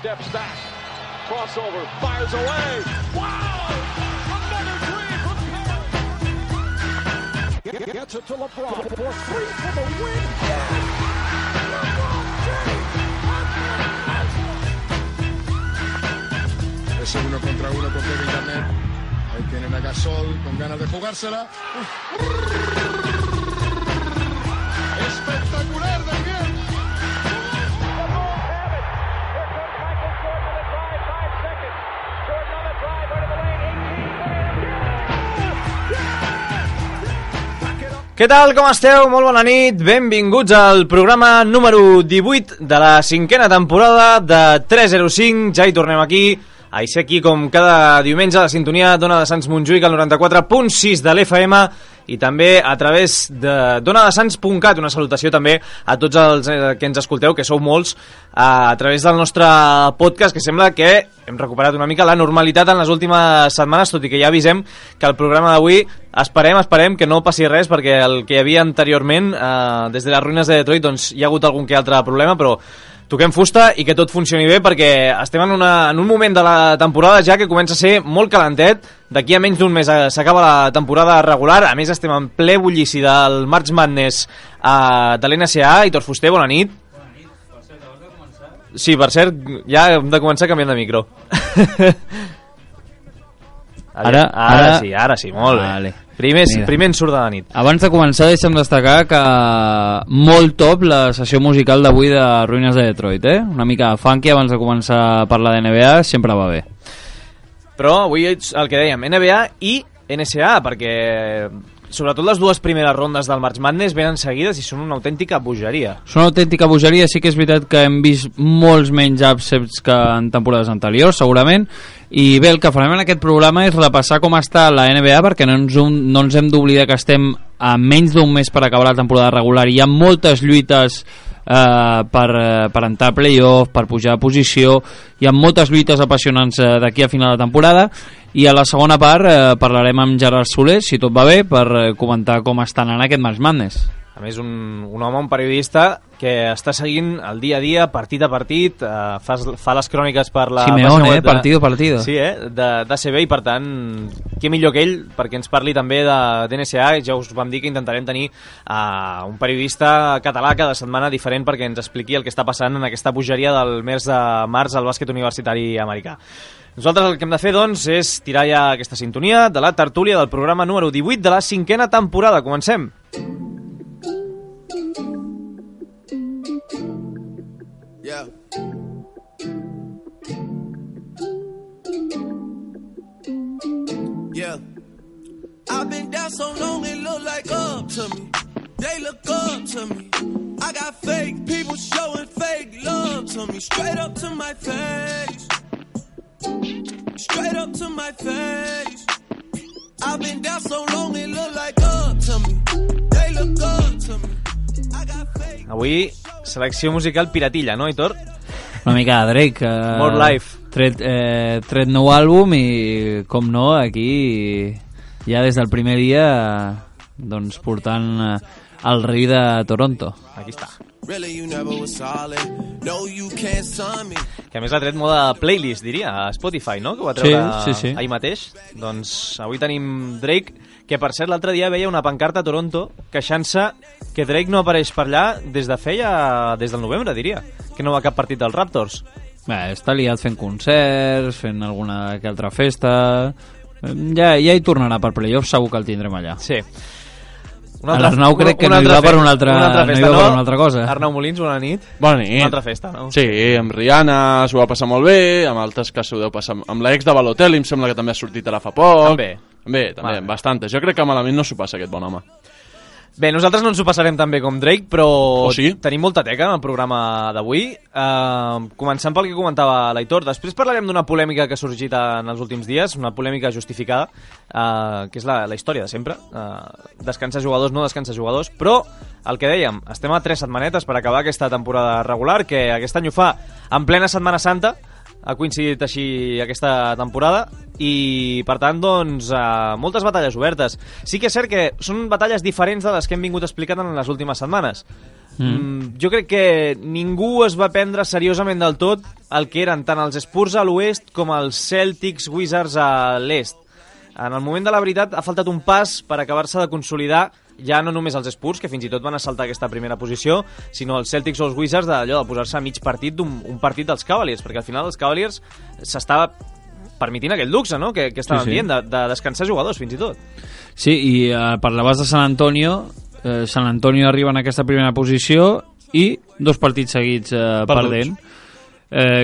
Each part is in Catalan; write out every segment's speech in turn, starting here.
steps back. Crossover, fires away. Wow! Another three from Perry. Gets it to LeBron for three for the win. LeBron James. Ese 1 contra 1 con Kevin Garnett. Ahí tienen a Gasol con ganas de jugársela. Espectacular de bien. Què tal, com esteu? Molt bona nit, benvinguts al programa número 18 de la 5a temporada de 305. Ja hi tornem aquí, a ser aquí com cada diumenge a la sintonia d'Ona de Sants Montjuïc al 94.6 de l'FM i també a través de donadesans.cat. Una salutació també a tots els que ens escolteu, que sou molts, a través del nostre podcast, que sembla que hem recuperat una mica la normalitat en les últimes setmanes, tot i que ja avisem que el programa d'avui esperem que no passi res, perquè el que hi havia anteriorment, des de les ruïnes de Detroit, doncs hi ha hagut algun que altre problema, però toquem fusta i que tot funcioni bé, perquè estem en un moment de la temporada ja que comença a ser molt calentet. D'aquí a menys d'un mes s'acaba la temporada regular. A més, estem en ple bullici del March Madness de l'NCAA. Hitor Fuster, bona nit. Bona nit. Per cert, abans de començar... Sí, per cert, ja hem de començar canviant de micro. Ara sí, molt bé. Primer en surt de la nit. Abans de començar, deixa'm destacar que molt top la sessió musical d'avui de Ruïnes de Detroit, Una mica funky abans de començar a parlar de NBA, sempre va bé. Però avui el que dèiem, NBA i NCAA, perquè sobretot les dues primeres rondes del March Madness venen seguides i són una autèntica bogeria. Són una autèntica bogeria, sí que és veritat que hem vist molts menys upsets que en temporades anteriors, segurament, i bé, el que farem en aquest programa és repassar com està la NBA, perquè no ens hem d'oblidar que estem a menys d'un mes per acabar la temporada regular i hi ha moltes lluites per entrar a playoff, per pujar a posició. Hi ha moltes lluites apassionants d'aquí a final de temporada, i a la segona part parlarem amb Gerard Soler, si tot va bé, per comentar com estan en aquest March Madness. A més, un home, un periodista que està seguint el dia a dia, partit a partit, fa les cròniques per la Simeone, partido a partido. Sí, d'ACB, i per tant, què millor que ell perquè ens parli també de NCAA. Ja us vam dir que intentarem tenir un periodista català cada setmana diferent perquè ens expliqui el que està passant en aquesta bogeria del mes de març al bàsquet universitari americà. Nosaltres el que hem de fer, doncs, és tirar ja aquesta sintonia de la tertúlia del programa número 18 de la 5a temporada. Comencem! Yeah. Yeah. I've been down so long it look like up to me. They look up to me. I got fake people showing fake love to me. Straight up to my face. Straight up to my face. I've been down so long it look like up to me. They look up to me. I got fake. Avui selecció musical piratilla, no, Hitor? Una mica de Drake. More Life. Tret nou àlbum i, com no, aquí ja des del primer dia doncs portant el rei de Toronto. Aquí està. Really, you never was solid. No, you can't sign me. Que a més l'ha tret moda playlist, diria, a Spotify, no? Que ho va treure sí. ahir mateix. Doncs avui tenim Drake, que per cert l'altre dia veia una pancarta a Toronto queixant-se que Drake no apareix per allà des del novembre, diria, que no va a cap partit dels Raptors. Bé, està liat fent concerts, fent alguna que altra festa. Ja hi tornarà per playoff, segur que el tindrem allà. Sí. L'Arnau crec que no hi va per una altra cosa. Arnau Molins, bona nit. Bona nit. Una altra festa, no? Sí, amb Rihanna s'ho va passar molt bé, amb altres que s'ho deu passar amb l'ex de Balotelli, em sembla que també ha sortit ara fa poc. També, bastantes. Jo crec que malament no s'ho passa aquest bon home. Bé, nosaltres no ens ho passarem tan bé com Drake, però sí? Tenim molta teca en el programa d'avui. Començant pel que comentava l'Aitor, després parlarem d'una polèmica que ha sorgit en els últims dies, una polèmica justificada, que és la història de sempre. Descansar jugadors, no descansar jugadors, però el que dèiem, estem a 3 setmanetes per acabar aquesta temporada regular, que aquest any ho fa en plena Setmana Santa, ha coincidit així aquesta temporada i, per tant, doncs, moltes batalles obertes. Sí que és cert que són batalles diferents de les que hem vingut explicant en les últimes setmanes. Jo crec que ningú es va prendre seriosament del tot el que eren tant els Spurs a l'oest com els Celtics Wizards a l'est. En el moment de la veritat ha faltat un pas per acabar-se de consolidar ja no només els Spurs, que fins i tot van assaltar aquesta primera posició, sinó els Celtics o els Wizards d'allò de posar-se a mig partit d'un partit dels Cavaliers, perquè al final els Cavaliers s'estava permitint aquell luxe, no?, que estaven dient, de descansar jugadors fins i tot. Sí, i parlaves de San Antonio. San Antonio arriba en aquesta primera posició i 2 partits seguits perdent.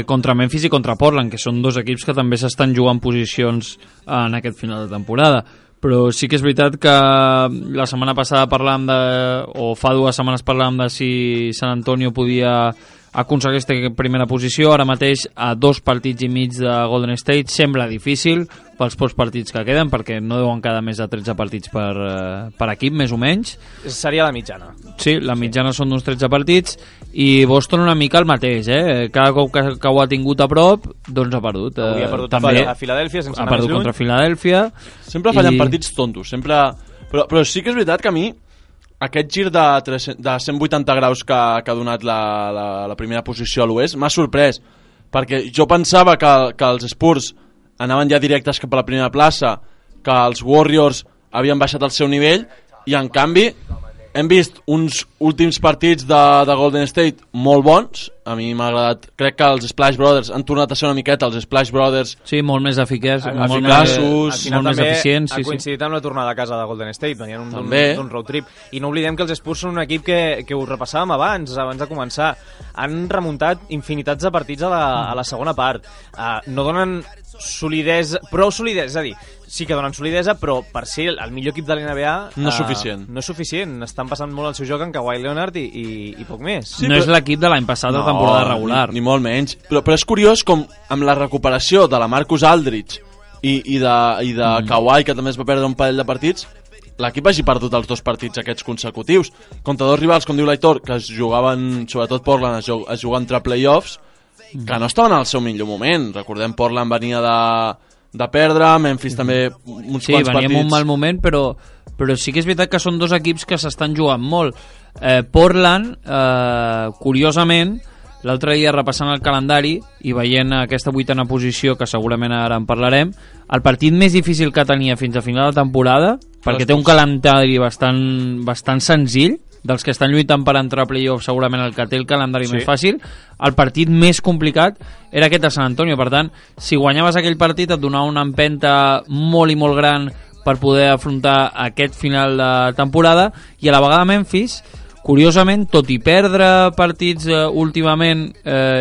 Contra Memphis i contra Portland, que són 2 equips que també s'estan jugant posicions en aquest final de temporada. Però sí que és veritat que la setmana passada parlàvem o fa 2 setmanes parlàvem de si San Antonio podia aconseguir aquesta primera posició. Ara mateix, a 2 partits i mig de Golden State, sembla difícil pels pocs partits que queden, perquè no deuen quedar més de 13 partits per equip, més o menys. Seria la mitjana. Sí, la mitjana són d'uns 13 partits, i Boston una mica el mateix, cada cop que ho ha tingut a prop, doncs ha perdut. Avui ha perdut també a Filadèlfia, sense anar més lluny. Ha perdut contra Filadèlfia. Sempre fallen partits tontos, sempre... Però sí que és veritat que a mi aquest gir de 180 graus que ha donat la primera posició a l'oest m'ha sorprès, perquè jo pensava que els Spurs anaven ja directes cap a la primera plaça, que els Warriors havien baixat el seu nivell, i en canvi hem vist uns últims partits de Golden State molt bons. A mi m'ha agradat. Crec que els Splash Brothers han tornat a ser una miqueta els Splash Brothers. Sí, molt més eficaços, molt més eficients. Ha coincidit amb la tornada a casa de Golden State, venien d'un road trip. I no oblidem que els Spurs són un equip que ho repassàvem abans de començar. Han remuntat infinitats de partits a la segona part. No donen solidesa, prou solidesa, és a dir, sí que donen solidesa, però per ser el millor equip de l'NBA no és suficient. No és suficient, estan passant molt el seu joc en Kawhi Leonard i poc més. Sí, no és l'equip de l'any passat de temporada regular. Ni molt menys, però és curiós com amb la recuperació de la Marcus Aldridge i de Kawhi, que també es va perdre un parell de partits, l'equip hagi perdut els 2 partits aquests consecutius contra 2 rivals, com diu l'Aitor, que es jugaven, sobretot Portland es juga entre playoffs, que no estaven al seu millor moment. Recordem, Portland venia de perdre, Memphis també uns quants partits. Sí, venia en un mal moment, però sí que és veritat que són 2 equips que s'estan jugant molt. Portland, curiosament, l'altre dia repassant el calendari i veient aquesta 8a posició, que segurament ara en parlarem, el partit més difícil que tenia fins a final de temporada, perquè té un calendari bastant senzill, dels que estan lluitant per entrar a playoff, segurament el que té el calendari més fàcil, el partit més complicat era aquest a San Antonio. Per tant, si guanyaves aquell partit et donava una empenta molt i molt gran per poder afrontar aquest final de temporada, i a la vegada Memphis, curiosament, tot i perdre partits últimament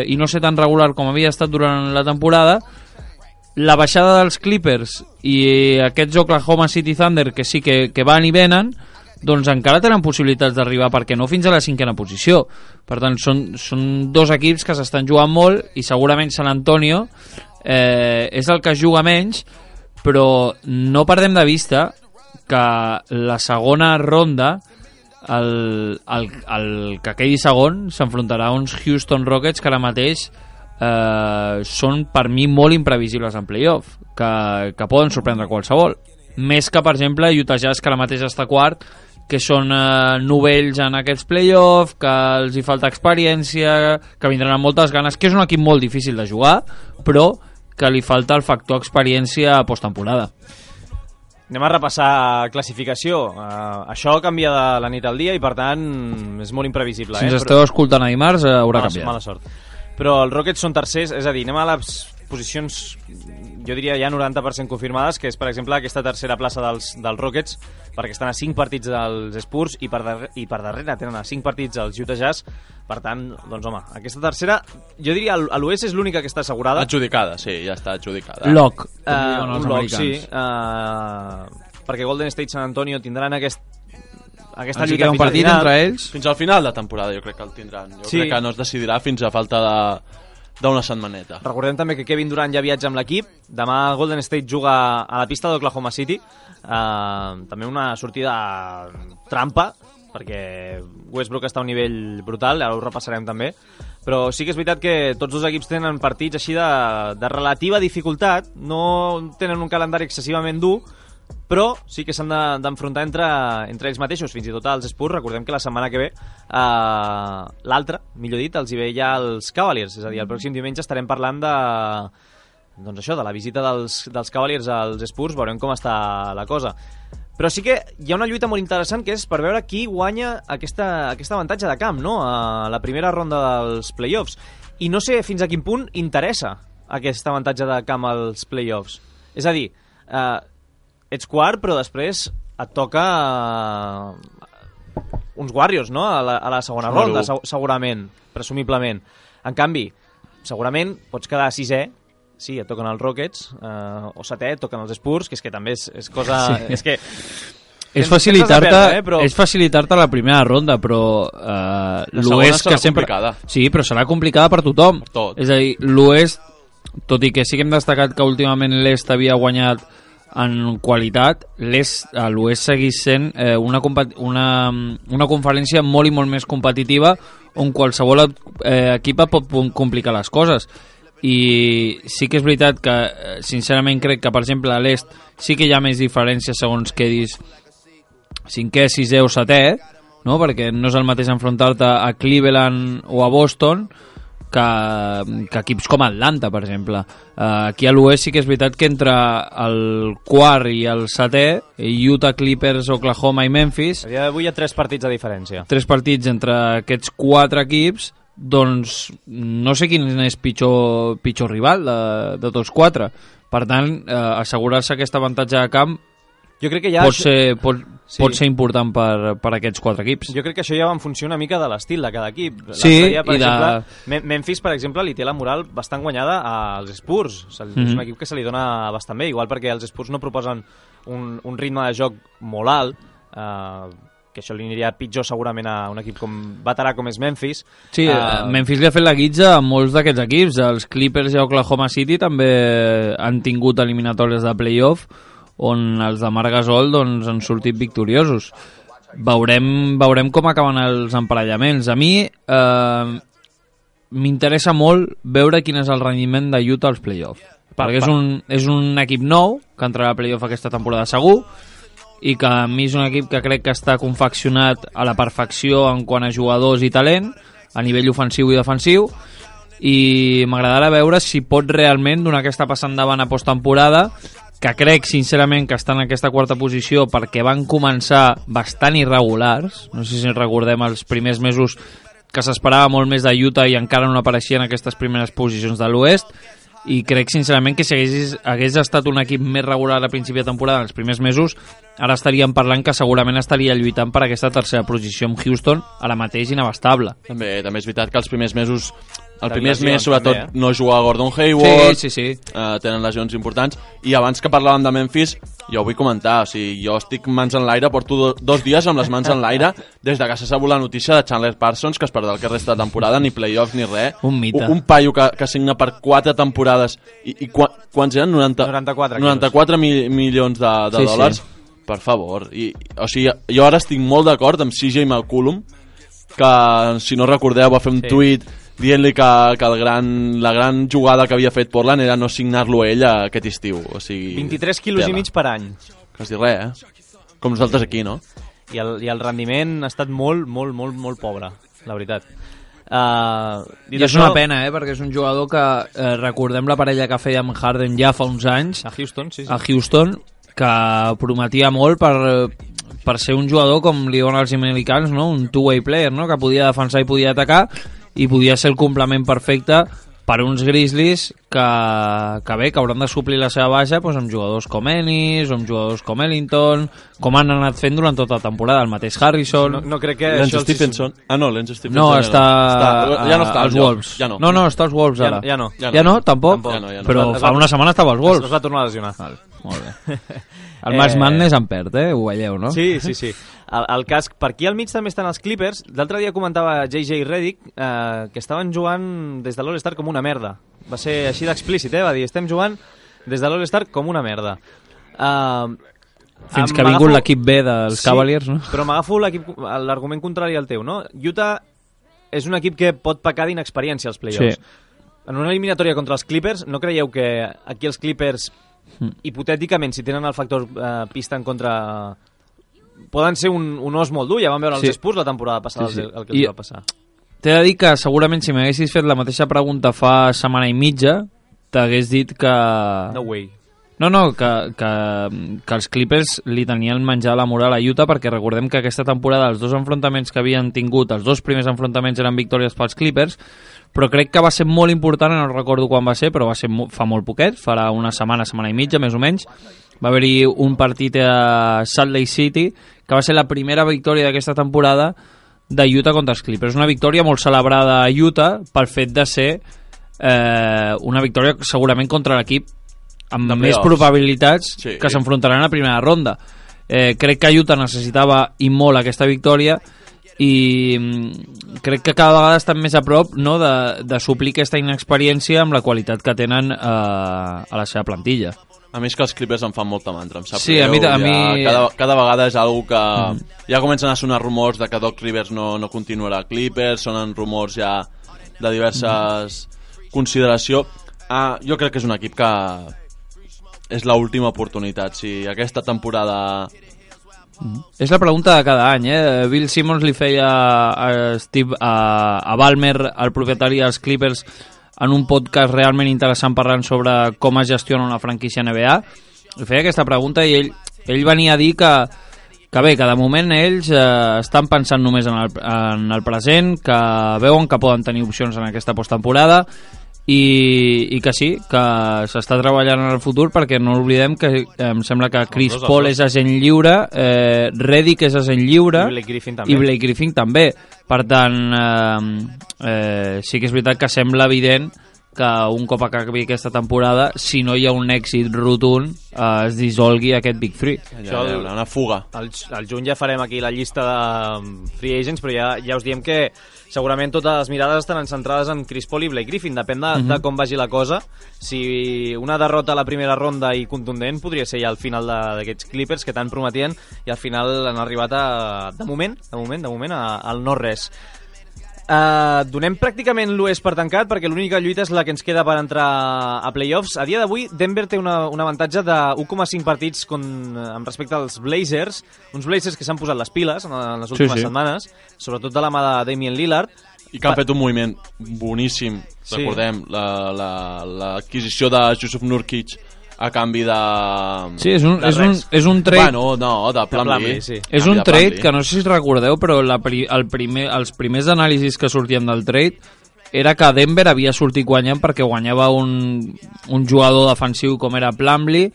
i no ser tan regular com havia estat durant la temporada, la baixada dels Clippers i aquests Oklahoma City Thunder, que sí que van i venen, doncs encara tenen possibilitats d'arribar, perquè no fins a la 5a posició. Per tant, són 2 equips que s'estan jugant molt, i segurament San Antonio és el que juga menys, però no perdem de vista que la segona ronda, el que quedi segon s'enfrontarà a uns Houston Rockets que ara mateix són per mi molt imprevisibles en playoff, que poden sorprendre qualsevol, més que per exemple Utah Jazz, que ara mateix està quart, que són novells en aquests playoffs, que els hi falta experiència, que vindran amb moltes ganes, que és un equip molt difícil de jugar, però que li falta el factor experiència a posttemporada. Anem a repassar classificació. Això canvia de la nit al dia i, per tant, és molt imprevisible. Si ens esteu escoltant a dimarts, haurà canviat. Mala sort. Però els Rockets són tercers, és a dir, anem a les posicions, jo diria ja 90% confirmades, que és, per exemple, aquesta tercera plaça dels Rockets, perquè estan a 5 partits dels Spurs i per darrere tenen a 5 partits els Utah Jazz. Per tant, doncs home, aquesta tercera, jo diria a l'oest és l'única que està assegurada. Adjudicada, sí, ja està adjudicada. Lock. Un lock, sí. Perquè Golden State i San Antonio tindran aquesta lluita un partit entre ells fins al final de temporada. Jo crec que el tindran. Crec que no es decidirà fins a falta d'una setmaneta. Recordem també que Kevin Durant ja viatja amb l'equip. Demà Golden State juga a la pista d'Oklahoma City. També una sortida trampa, perquè Westbrook està a un nivell brutal, ara ho repassarem també, Però sí que és veritat que tots dos equips tenen partits així de relativa dificultat, no tenen un calendari excessivament dur, però sí que s'han d'enfrontar entre ells mateixos, fins i tot als Spurs. Recordem que la setmana que ve, l'altra, millor dit, els hi ve ja els Cavaliers, és a dir, el pròxim diumenge estarem parlant doncs això, de la visita dels Cavaliers als Spurs, veurem com està la cosa. Però sí que hi ha una lluita molt interessant, que és per veure qui guanya aquest avantatge de camp, no?, a la primera ronda dels playoffs. I no sé fins a quin punt interessa aquest avantatge de camp als playoffs. És a dir, ets quart, però després et toca uns Warriors, no?, a la segona ronda, segurament, presumiblement. En canvi, segurament pots quedar sisè, sí, et toquen els Rockets, o setè, et toquen els Spurs, que és que també és cosa... Sí. És que... És facilitar-te la primera ronda, però l'Oest que sempre... Complicada. Sí, però serà complicada per tothom. Per tot. És a dir, l'Oest, tot i que sí que hem destacat que últimament l'Est havia guanyat en qualitat, l'Oest segueix sent una conferència molt i molt més competitiva, on qualsevol equip pot complicar les coses. I sí que és veritat que sincerament crec que per exemple a l'est sí que hi ha més diferència segons quedis cinquè, sisè o setè, no? Perquè no és el mateix enfrontar-te a Cleveland o a Boston que equips com Atlanta, per exemple. Aquí a l'oest sí que és veritat que entre el quart i el setè, Utah, Clippers, Oklahoma i Memphis, a dia d'avui hi ha 3 partits de diferència. 3 partits entre aquests 4 equips, doncs no sé quin és pitjor rival de tots 4. Per tant, assegurar-se aquest avantatge de camp jo crec que ja pot ser important per aquests 4 equips. Jo crec que això ja va en funció una mica de l'estil de cada equip. Sí, dia, per exemple, Memphis, per exemple, li té la moral bastant guanyada als Spurs. És un equip que se li dona bastant bé, igual perquè els Spurs no proposen un ritme de joc molt alt, que això li aniria pitjor segurament a un equip veterà com és Memphis. Sí, Memphis li ha fet la guitza a molts d'aquests equips. Els Clippers i Oklahoma City també han tingut eliminatòries de playoff on els de Marc Gasol doncs, han sortit victoriosos. Veurem com acaben els emparellaments. A mi m'interessa molt veure quin és el rendiment de Utah als playoff, perquè és un equip nou que entrarà a playoff aquesta temporada segur, i que a mi és un equip que crec que està confeccionat a la perfecció en quant a jugadors i talent, a nivell ofensiu i defensiu, i m'agradarà veure si pot realment donar aquesta passada endavant a posttemporada, que crec sincerament que està en aquesta quarta posició perquè van començar bastant irregulars. No sé si recordem els primers mesos que s'esperava molt més de Utah i encara no apareixien aquestes primeres posicions de l'oest, i crec sincerament que si hagués estat un equip més regular a principi de temporada en els primers mesos, ara estaríem parlant que segurament estaria lluitant per aquesta tercera posició amb Houston, ara mateix inabastable. També és veritat que els primers mesos, el primer mes sobretot no juga Gordon Hayward, sí. Tenen lesions importants, i abans que parlàvem de Memphis, jo vull comentar, o sigui, jo estic mans en l'aire, porto 2 dies amb les mans en l'aire des de que s'ha sabut la notícia de Chandler Parsons, que es perdrà el que resta de temporada, ni playoffs ni res. Un mite. Un paio que signa per 4 temporades i quants eren? 94 milions de dòlars. Per favor. O sigui, jo ara estic molt d'acord amb CJ McCollum, que si no recordeu va fer un tuit dient-li que la gran jugada que havia fet Portland era no signar-lo ell aquest estiu. O sigui, 23 quilos i mig per any. Quasi res, com nosaltres aquí, no? I el rendiment ha estat molt pobre, la veritat. I és una pena, perquè és un jugador que recordem la parella que feia amb Harden ja fa uns anys a Houston, sí. A Houston, que prometia molt per ser un jugador com li donen els americans, no? Un two-way player, no? Que podia defensar i podia atacar, i podia ser el complement perfecte per uns Grizzlies que hauran de suplir la seva baixa doncs, amb jugadors com Ennis, amb jugadors com Ellington, com han anat fent durant tota la temporada, el mateix Harrison. No crec que Lance Stephenson. Lance Stephenson no, ja no està als Wolves. Ja no. No, està als Wolves ara. Ja no. Ja no? Tampoc? Ja no. Però fa una setmana estava als Wolves. Es va tornar a lesionar. Molt bé. El March Madness en perd, ho veieu, no? Sí. El cas, per aquí al mig també estan els Clippers. L'altre dia comentava JJ Redick que estaven jugant des de l'All-Star com una merda. Va ser així d'explícit, va dir, estem jugant des de l'All-Star com una merda. Fins que ha vingut l'equip B dels Cavaliers, no? Però m'agafo l'argument contrari al teu, no? Utah és un equip que pot pecar d'inexperiència als play-offs. Sí. En una eliminatòria contra els Clippers, no creieu que aquí els Clippers, hipotèticament, si tenen el factor pista en contra, poden ser un os molt dur? Ja vam veure els Spurs la temporada passada el que els va passar. T'he de dir que segurament si m'haguessis fet la mateixa pregunta fa setmana i mitja, t'hagués dit que... No way. No, que els Clippers li tenien menjar la moral a Utah, perquè recordem que aquesta temporada els 2 enfrontaments que havien tingut, els 2 primers enfrontaments eren victòries pels Clippers, però crec que va ser molt important, no recordo quan va ser, però va ser fa molt poquet, farà una setmana i mitja, més o menys. Va haver-hi un partit a Salt Lake City, que va ser la primera victòria d'aquesta temporada de Utah contra els Clippers. Una victòria molt celebrada a Utah pel fet de ser una victòria segurament contra l'equip amb més probabilitats que s'enfrontaran a la primera ronda. Crec que Utah necessitava i molt aquesta victòria i crec que cada vegada estan més a prop, no, de suplir aquesta inexperiència amb la qualitat que tenen a la seva plantilla. A mi és que els Clippers em fan molta mandra, em sap sí, greu. A mi... Cada vegada és algo que... Ja comencen a sonar rumors de que Doc Rivers no continuarà a Clippers, sonen rumors ja de diverses consideració. Jo crec que és un equip que és l'última oportunitat. Si aquesta temporada... És la pregunta de cada any, Bill Simmons li feia a Ballmer, el propietari dels Clippers, en un podcast realment interessant parlant sobre com es gestiona una franquícia NBA. Li feia aquesta pregunta i ell venia a dir que bé, que de moment ells estan pensant només en el present, que veuen que poden tenir opcions en aquesta posttemporada i que sí, que s'està treballant en el futur, perquè no oblidem que em sembla que Chris Paul és agent lliure, Redick és agent lliure i Blake Griffin també. Per tant, sí que és veritat que sembla evident que un cop acabi aquesta temporada, si no hi ha un èxit rotund, es dissolgui aquest Big Three. Una fuga. Al juny ja farem aquí la llista de free agents, però ja us diem que segurament totes les mirades estaran centrades en Chris Paul i Blake Griffin. Depèn de com vagi la cosa. Si una derrota a la primera ronda i contundent podria ser ja el final d'aquests Clippers que tant prometien i al final han arribat de moment al no-res. Donem pràcticament l'oest per tancat, perquè l'única lluita és la que ens queda per entrar a playoffs. A dia d'avui Denver té un avantatge de 1,5 partits amb respecte als Blazers, uns Blazers que s'han posat les piles en les últimes setmanes, sobretot de la mà de Damian Lillard, i que han fet un moviment boníssim. Recordem l'adquisició de Jusuf Nurkic a canvi de... Sí, és un trade... Bueno, no, de Plumlee. Sí. És un trade que no sé si recordeu, però els primers anàlisis que sortien del trade era que Denver havia sortit guanyant perquè guanyava un jugador defensiu com era Plumlee,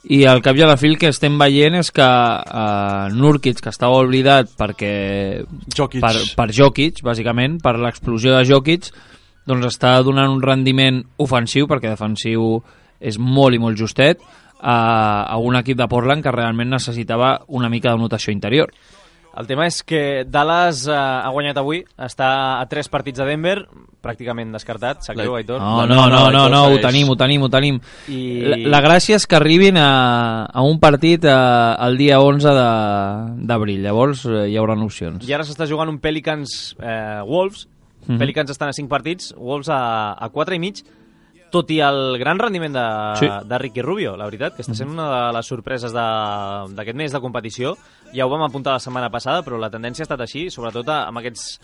i al cap i a la fi el que estem veient és que Nurkic, que estava oblidat per Jokic, bàsicament, per l'explosió de Jokic, doncs està donant un rendiment ofensiu, perquè defensiu és molt i molt justet, a un equip de Portland que realment necessitava una mica de notació interior. El tema és que Dallas ha guanyat avui, està a 3 partits de Denver, pràcticament descartat, sap greu, Aitor? No, ho tenim. La gràcia és que arribin a un partit el dia 11 d'abril, llavors hi haurà opcions. I ara s'està jugant un Pelicans-Wolves, Pelicans estan a 5 partits, Wolves a 4 i mig, tot i el gran rendiment de Ricky Rubio, la veritat, que està sent una de les sorpreses d'aquest mes de competició. Ja ho vam apuntar la setmana passada, però la tendència ha estat així, sobretot amb aquests...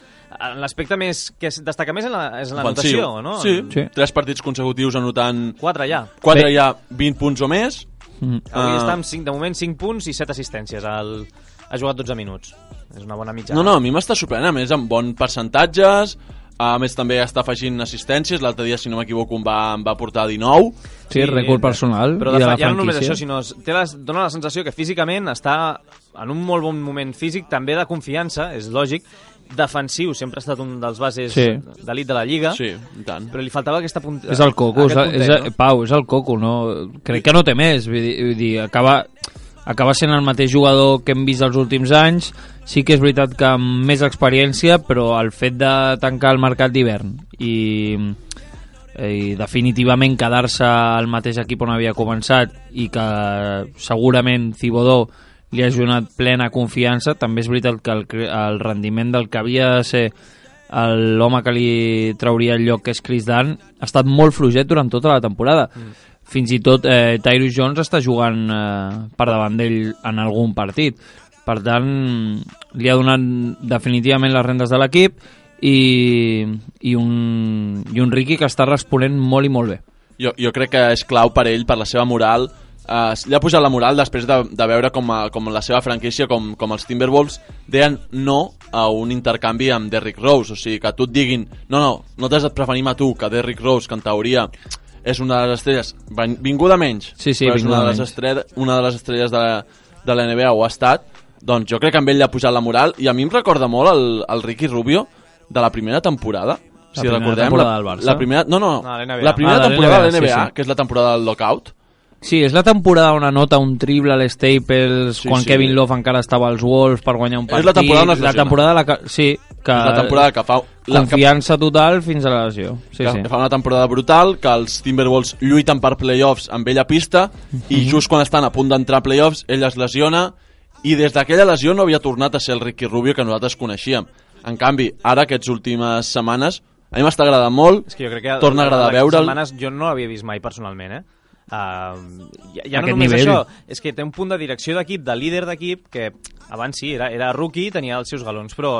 L'aspecte que destaca més és la notació, no? Sí. 3 partits consecutius anotant... 4 ja. 4 ja, 20 punts o més. Avui està amb de moment 5 punts i 7 assistències. Ha jugat 12 minuts. És una bona mitjana. No, a mi m'està sorprenent, a més, amb bons percentatges. A més, també està afegint assistències. L'altre dia, si no m'equivoco, em va portar 19. Sí, rècord personal. Però ja no només això, sinó dona la sensació que físicament està en un molt bon moment físic, també de confiança, és lògic. Defensiu, sempre ha estat un dels bases d'elit de la Lliga. Sí, i tant. Però li faltava aquesta punta. És el coco, Pau, és el coco, no? Crec que no té més. Vull dir, acaba sent el mateix jugador que hem vist els últims anys. Sí que és veritat que amb més experiència, però el fet de tancar el mercat d'hivern i definitivament quedar-se al mateix equip on havia començat i que segurament Thibodeau li ha donat plena confiança, també és veritat que el rendiment del que havia de ser l'home que li trauria el lloc, que és Chris Dunn, ha estat molt fluixet durant tota la temporada. Fins i tot Tyus Jones està jugant per davant d'ell en algun partit. Per tant, li ha donat definitivament les rendes de l'equip i un Ricky que està responent molt i molt bé. Jo crec que és clau per ell, per la seva moral. Li ha pujat la moral després de veure com la seva franquícia, com els Timberwolves deien no a un intercanvi amb Derrick Rose. O sigui, que tu et diguin no t'has de preferir a tu que Derrick Rose, que en teoria és una de les estrelles vinguda menys, però és una de les estrelles de la NBA, ho ha estat. Doncs jo crec que amb ell li ha pujat la moral, i a mi em recorda molt el Ricky Rubio de la primera temporada. Si recordem, la primera temporada de la NBA, que és la temporada del lockout. Sí, és la temporada on anota un triple a l'Staples, quan Kevin Love encara estava als Wolves per guanyar un partit. És la temporada on es lesiona. La temporada que fa confiança total fins a la lesió. Que fa una temporada brutal, que els Timberwolves lluiten per playoffs amb ell a pista, i just quan estan a punt d'entrar a playoffs, ell es lesiona, i des d'aquella lesió no havia tornat a ser el Ricky Rubio que nosaltres coneixíem. En canvi, ara, aquestes últimes setmanes, a mi m'està agradant molt, és que jo crec que torna a agradar veure'l. Setmanes jo no l'havia vist mai personalment, ja no només nivell. això, és que té un punt de direcció d'equip, de líder d'equip, que abans sí, era rookie, tenia els seus galons, però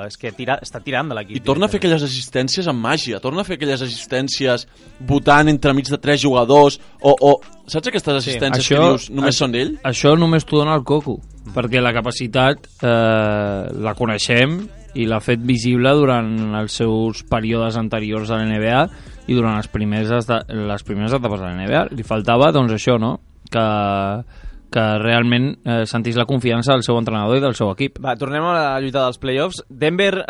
és que està tirant de l'equip. I torna a fer aquelles assistències amb màgia, torna a fer aquelles assistències votant entremig de 3 jugadors, o saps aquestes assistències que dius només són d'ell? Això només t'ho dona el Coco, perquè la capacitat la coneixem i l'ha fet visible durant els seus períodes anteriors a la NBA i durant les primeres etapes de la NBA. Li faltava, doncs, això, no? Que realment sentís la confiança del seu entrenador i del seu equip. Va, tornem a la lluita dels playoffs. Denver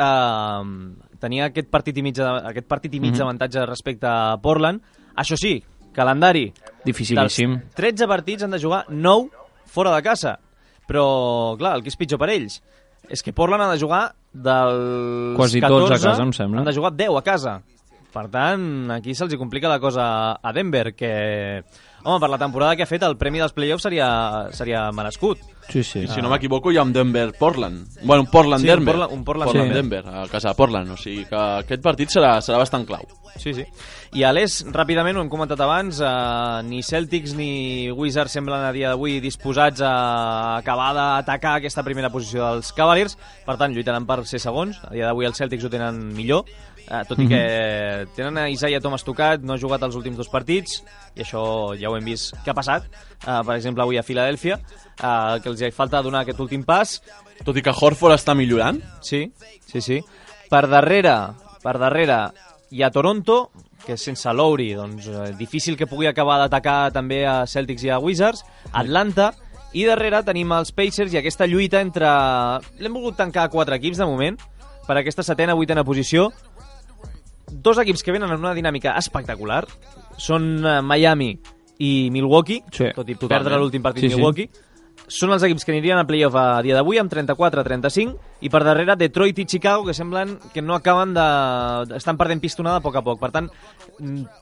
tenia aquest partit i mig d'avantatge respecte a Portland. Això sí, calendari. Dificilíssim. Dels 13 partits han de jugar 9 fora de casa. Però, clar, el que és pitjor per ells és que Portland ha de jugar dels quasi 14, tots a casa, em sembla. Han de jugar 10 a casa. Per tant, aquí se'ls complica la cosa a Denver, que, home, per la temporada que ha fet, el premi dels playoffs seria merescut. Sí. Si no m'equivoco, hi ha un Denver-Portland. Bueno, un Portland-Denver. Sí, un Portland-Denver, a casa de Portland. O sigui que aquest partit serà bastant clau. Sí. I a l'est, ràpidament, ho hem comentat abans, ni Celtics ni Wizards semblen a dia d'avui disposats a acabar d'atacar aquesta primera posició dels Cavaliers. Per tant, lluitaran per ser segons. A dia d'avui els Celtics ho tenen millor, tot i que tenen a Isaiah Thomas tocat, no ha jugat els últims 2 partits, i això ja ho hem vist que ha passat, per exemple avui a Filadèlfia, que els hi falta donar aquest últim pas. Tot i que Horford està millorant. Sí. Per darrere hi ha Toronto, que sense Lowry, doncs, difícil que pugui acabar d'atacar també a Celtics i a Wizards, Atlanta, i darrere tenim els Pacers i aquesta lluita entre... L'hem volgut tancar 4 equips de moment, per aquesta 7ª, 8ª posició. 2 equips que venen en una dinàmica espectacular són Miami i Milwaukee, tot i perdre l'últim partit Milwaukee. Són els equips que anirien a playoff a dia d'avui amb 34-35, i per darrere Detroit i Chicago, que semblen que no acaben estan perdent pistonada a poc a poc. Per tant,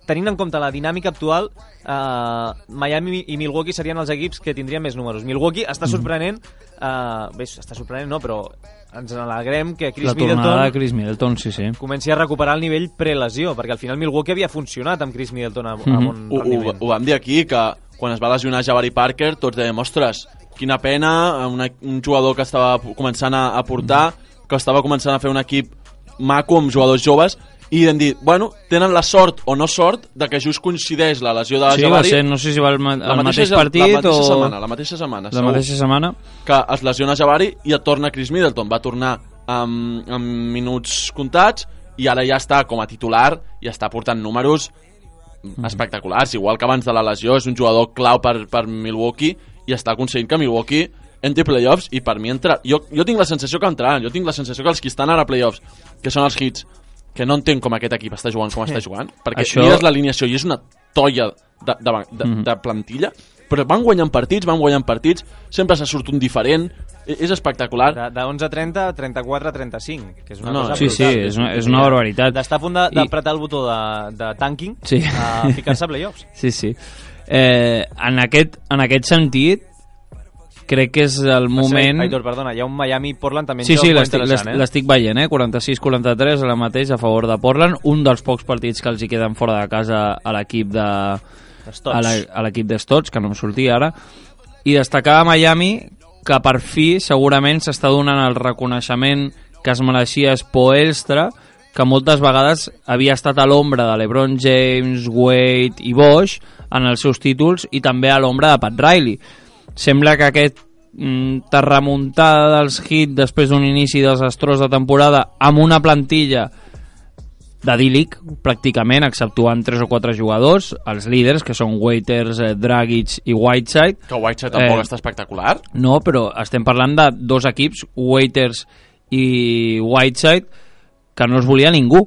tenint en compte la dinàmica actual, Miami i Milwaukee serien els equips que tindrien més números. Milwaukee està sorprenent, està sorprenent no, però ens n'alegrem que la tornada de Chris Middleton comenci a recuperar el nivell prelesió, perquè al final Milwaukee havia funcionat amb Chris Middleton a bon rendiment. Ho vam dir aquí, que quan es va lesionar Jabari Parker tots dèiem, ostres, quina pena, un jugador que estava començant a portar, que estava començant a fer un equip maco amb jugadors joves, i vam dir, bueno, tenen la sort o no sort de que just coincideix la lesió de Jabari. Sí, va ser, no sé si va el mateix partit la mateixa setmana, que es lesiona Jabari i et torna Chris Middleton. Va tornar amb minuts comptats i ara ja està com a titular i està portant números espectaculars, igual que abans de la lesió. És un jugador clau per Milwaukee i està aconseguint que Milwaukee entri playoffs, i per mi entra... Jo tinc la sensació que entraran, jo tinc la sensació que els que estan ara a playoffs, que són els Heats, que no entenc com aquest equip està jugant com està jugant, perquè mires l'alineació i és una tolla de plantilla, però van guanyant partits, sempre se surt un diferent, és espectacular. De 11-30 a 34-35, que és una cosa brutal. Sí, és una barbaritat. D'estar a punt d'apretar el botó de tanking a ficar-se a playoffs. Sí. En aquest sentit, crec que és el moment... Aitor, perdona, hi ha un Miami-Portland també en Sí, joc interessant, l'estic veient, 46-43 ara mateix a favor de Portland, un dels pocs partits que els hi queden fora de casa a l'equip de l'equip de Stotts, que no em sortia ara, i destacar a Miami que per fi segurament s'està donant el reconeixement que es mereixia Spoelstra, que moltes vegades havia estat a l'ombra de LeBron James, Wade i Bosh en els seus títols, i també a l'ombra de Pat Riley. Sembla que aquest remuntada dels Heat després d'un inici desastrós de temporada amb una plantilla d'idíl·lic, pràcticament, exceptuant 3 o 4 jugadors, els líders, que són Waiters, Dragic i Whiteside. Que Whiteside tampoc està espectacular. No, però estem parlant de dos equips, Waiters i Whiteside, que no es volia ningú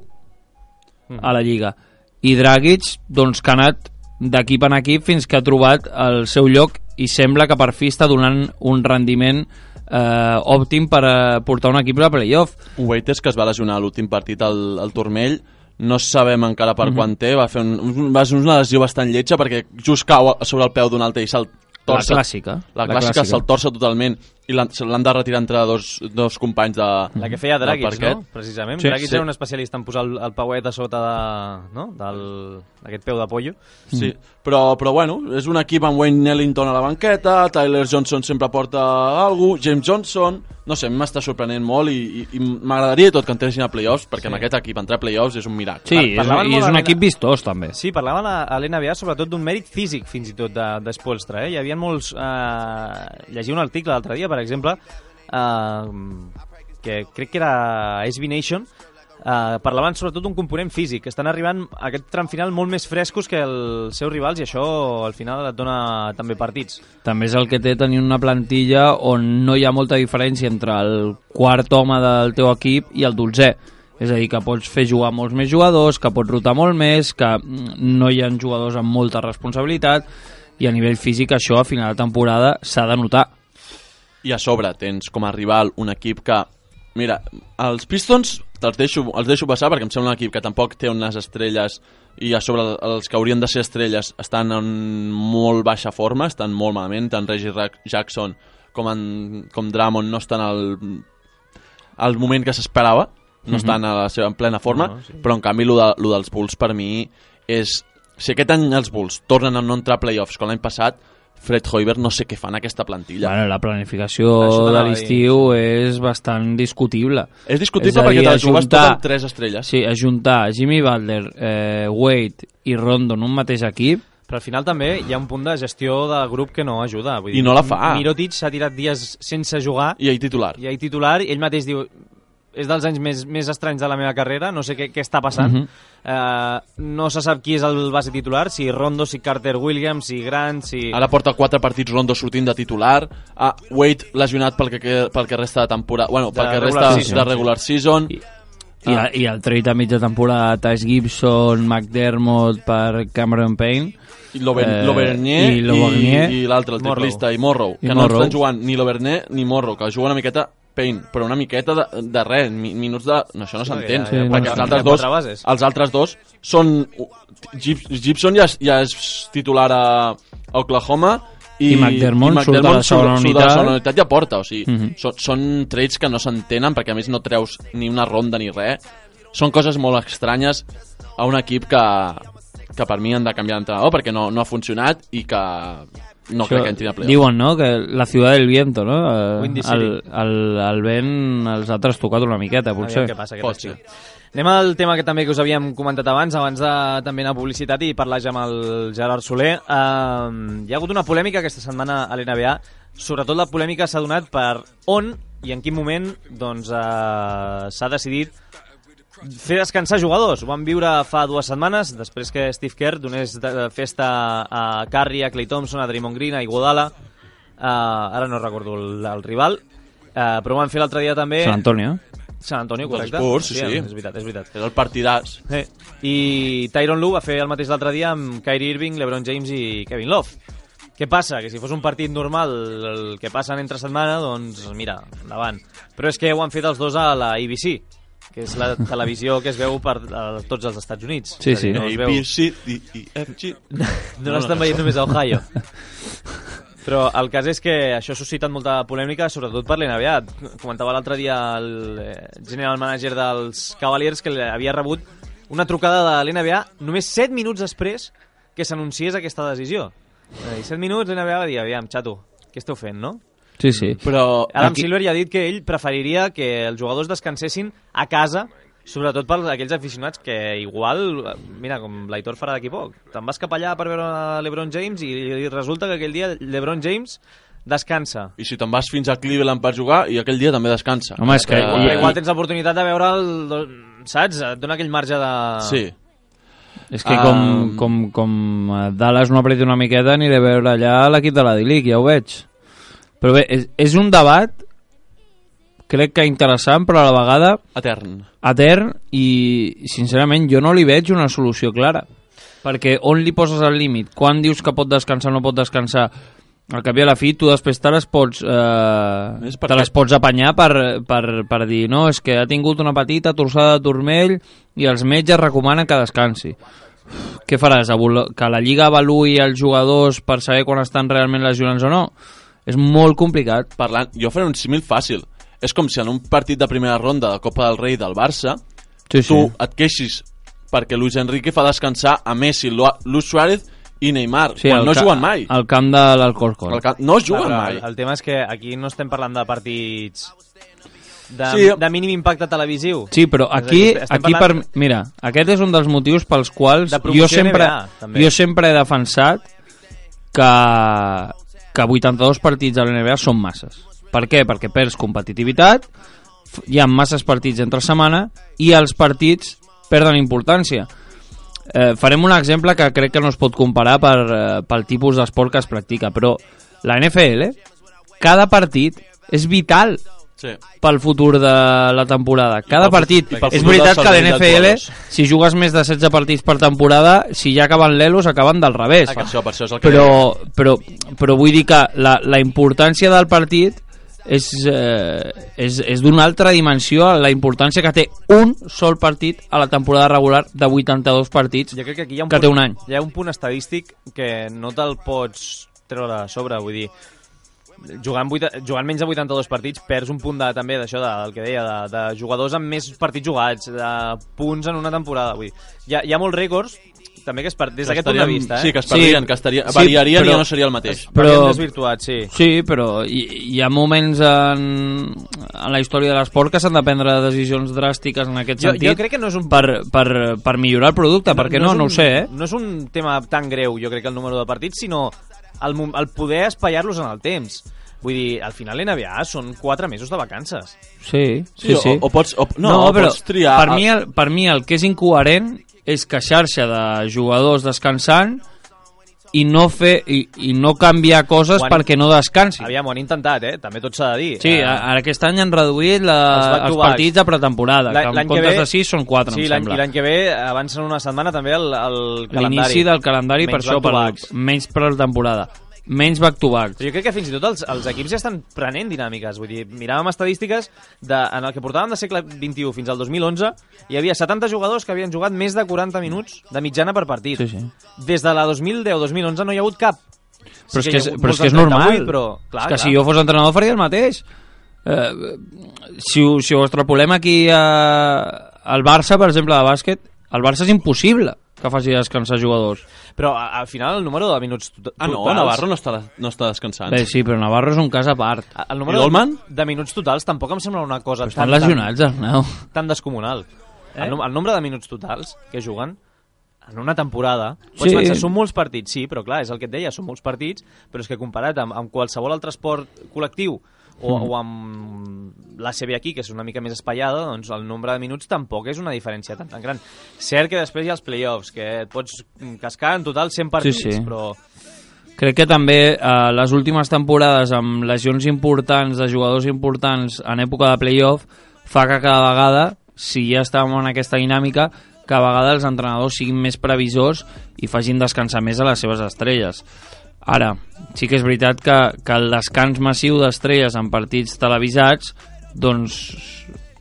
a la Lliga. I Dragic, doncs, que ha anat d'equip en equip fins que ha trobat el seu lloc i sembla que per fi està donant un rendiment òptim per portar un equip a playoff. Waiters, que es va lesionar a l'últim partit al turmell, no sabem encara per quan té, va ser una lesió bastant lletja perquè just cau sobre el peu d'un altre i se'l torça. La clàssica se'l torça totalment i l'han de retirar entre dos companys de la que feia Dragic, no? Precisament. Sí, Dragic era un especialista en posar el pauet a sota d'aquest peu de pollo. Sí, però bueno, és un equip amb Wayne Ellington a la banqueta, Tyler Johnson sempre porta alguna cosa, James Johnson, no sé, m'està sorprenent molt i m'agradaria tot que entressin a playoffs, perquè amb aquest equip entrar a playoffs és un miracle. Sí, i és un equip vistós també. Sí, parlaven a l'NBA sobretot d'un mèrit físic fins i tot de Spoelstra. Hi havia molts... Llegia un article l'altre dia, per exemple, que crec que era SB Nation, parlaven sobretot d'un component físic, que estan arribant a aquest tram final molt més frescos que els seus rivals, i això al final et dona també partits. També és el que té tenir una plantilla on no hi ha molta diferència entre el quart home del teu equip i el 12è. És a dir, que pots fer jugar molts més jugadors, que pots rotar molt més, que no hi ha jugadors amb molta responsabilitat, i a nivell físic això a final de temporada s'ha de notar. I a sobre tens com a rival un equip que... Mira, els Pistons els deixo passar perquè em sembla un equip que tampoc té unes estrelles i a sobre els que haurien de ser estrelles estan en molt baixa forma, estan molt malament, tant Reggie Jackson com Drummond no estan al moment que s'esperava, no estan a la seva en plena forma, però en canvi lo dels Bulls per mi és... Si aquest any els Bulls tornen a no entrar a playoffs com l'any passat, Fred Hoiberg no sé què fa en aquesta plantilla. Bueno, la planificació de l'estiu és bastant discutible. És discutible perquè te'l jugues tot amb 3 estrelles. Sí, ajuntar Jimmy Butler, Wade i Rondo en un mateix equip. Però al final també hi ha un punt de gestió del grup que no ajuda. Vull dir, I no la fa. Mirotic s'ha tirat dies sense jugar. I ahir titular. I ell mateix diu... És dels anys més estranys de la meva carrera, no sé què està passant. No se sap qui és el base titular, si Rondo, si Carter Williams, si Grant, si... Ara porta 4 partits Rondo sortint de titular. Wade lesionat pel que resta de temporada... Bueno, pel que resta de regular season. I el trade a mitja temporada, Taj Gibson, McDermott per Cameron Payne. I l'Auvergne i l'altre, el triplista, i Morrow. Que no estan jugant ni l'Auvergne ni Morrow, que juga una miqueta... Payne, però una miqueta de res, minuts de... No, això no s'entén, perquè els altres dos són... Gibson ja és titular a Oklahoma i McDermott surt de la segona unitat i aporta, o sigui, són trades que no s'entenen perquè a més no treus ni una ronda ni res. Són coses molt estranyes a un equip que per mi han de canviar d'entrenador perquè no ha funcionat i que... No crec que entrin a playoff. Diuen, no?, que la ciutat del viento, no? El vent els ha trastocat una miqueta, potser. Què passa, anem al tema que també us havíem comentat abans de també anar a publicitat i parlar ja amb el Gerard Soler. Hi ha hagut una polèmica aquesta setmana a l'NBA, sobretot la polèmica s'ha donat per on i en quin moment doncs, s'ha decidit fer descansar jugadors. Ho vam viure fa 2 setmanes, després que Steve Kerr donés festa a Curry, a Klay Thompson, a Draymond Green, a Iguodala, ara no recordo el rival, però ho van fer l'altre dia també... Sant Antonio, correcte. Spurs, sí. És veritat. És el partidàs. I Tyronn Lue va fer el mateix l'altre dia amb Kyrie Irving, LeBron James i Kevin Love. Què passa? Que si fos un partit normal el que passen entre setmana, doncs mira, endavant. Però és que ho han fet els dos a la ABC, que és la televisió que es veu per tots els Estats Units. Sí, sí. ABC, D, E, F, G... No l'estan veient només a Ohio. Però el cas és que això ha suscitat molta polèmica, sobretot per l'NBA. Comentava l'altre dia el general manager dels Cavaliers que havia rebut una trucada de l'NBA només 7 minuts després que s'anunciés aquesta decisió. 7 minuts l'NBA va dir, aviam, xato, què esteu fent, no? Sí, sí. Però Adam Silver ja ha dit que ell preferiria que els jugadors descansessin a casa, sobretot per aquells aficionats que igual, mira, com l'Aitor farà d'aquí poc, te'n vas cap allà per veure l'LeBron James i resulta que aquell dia l'LeBron James descansa. I si te'n vas fins a Cleveland per jugar i aquell dia també descansa. Home, és que... Igual tens l'oportunitat de veure saps? Et dona aquell marge de... Sí. És que com Dallas no apreti una miqueta aniré a veure allà l'equip de la D-League, ja ho veig. Però bé, és un debat crec que interessant, però a la vegada etern, i sincerament jo no li veig una solució clara, perquè on li poses el límit? Quan dius que pot descansar o no pot descansar? Al cap i a la fi tu després te les pots apanyar per dir no, és que ha tingut una petita torçada de turmell i els metges recomanen que descansi. Què faràs? Que la Lliga avaluï els jugadors per saber quan estan realment lesionats o no? És molt complicat. Jo faré un símil fàcil. És com si en un partit de primera ronda de Copa del Rei del Barça tu et queixis perquè Luis Enrique fa descansar a Messi, Luis Suárez i Neymar, quan no juguen mai. Al camp de l'Alcorcón. No juguen mai. El tema és que aquí no estem parlant de partits de mínim impacte televisiu. Sí, però aquí mira, aquest és un dels motius pels quals jo sempre he defensat que 82 partits a l'NBA són masses. Per què? Perquè perds competitivitat, hi ha masses partits entre setmana i els partits perden importància. Farem un exemple que crec que no es pot comparar pel tipus d'esport que es practica, però la NFL, cada partit és vital pel futur de la temporada. Cada partit. És veritat que a l'NFL, si jugues més de 16 partits per temporada, si ja acaben l'Elos, acaben del revés. Però vull dir que la importància del partit és d'una altra dimensió a la importància que té un sol partit a la temporada regular de 82 partits jo crec que aquí que té un any. Hi ha un punt estadístic que no te'l pots treure a sobre, vull dir, jugant menys de 82 partits perds un punt també d'això del que deia, de jugadors amb més partits jugats, de punts en una temporada, vull dir, hi ha molts rècords també que des d'aquest punt de vista, Sí, que es perdrien, que variarien i ja no seria el mateix. Però desvirtuat, sí. Sí, però hi ha moments en la història de l'esport que s'han de prendre decisions dràstiques en aquest sentit. Jo crec que no és un... per millorar el producte, perquè no ho sé, No és un tema tan greu, jo crec, el número de partits, sinó el poder espaiar-los en el temps. Vull dir, al final l'NBA són 4 mesos de vacances. Sí. O pots triar... Per mi el que és incoherent és queixar-se de jugadors descansant i no canviar coses perquè no descansin. Aviam, ho han intentat, també tot s'ha de dir. Sí, ara aquest any han reduït els partits de pretemporada, que en comptes de 6 són 4, em sembla. I l'any que ve avancen una setmana també el calendari. L'inici del calendari, per això, menys pretemporada. Menys back-to-back. Jo crec que fins i tot els equips ja estan prenent dinàmiques. Vull dir, miràvem estadístiques en el que portàvem de segle XXI fins al 2011, hi havia 70 jugadors que havien jugat més de 40 minuts de mitjana per partit. Sí. Des de la 2010-2011 no hi ha hagut cap. Però és que és normal. Clar, si jo fos entrenador faria el mateix. Si ho extrapolem aquí al Barça, per exemple, de bàsquet, el Barça és impossible que faci descansar jugadors. Però al final el número de minuts totals... Navarro no està descansant. Bé, sí, però Navarro és un cas a part. El número de minuts totals tampoc em sembla una cosa estan lesionats, Arnau. Tan descomunal. El nombre de minuts totals que juguen en una temporada, pots pensar, són molts partits, sí, però clar, és el que et deia, són molts partits, però és que comparat amb qualsevol altre esport col·lectiu o amb l'ACB aquí, que és una mica més espaiada, doncs el nombre de minuts tampoc és una diferència tan gran. Cert que després hi ha els play-offs, que et pots cascar en total 100 partits, però... Crec que també les últimes temporades amb lesions importants de jugadors importants en època de play-off fa que cada vegada, si ja estàvem en aquesta dinàmica, que a vegades els entrenadors siguin més previsors i facin descansar més a les seves estrelles. Ara, sí que és veritat que el descans massiu d'estrelles en partits televisats doncs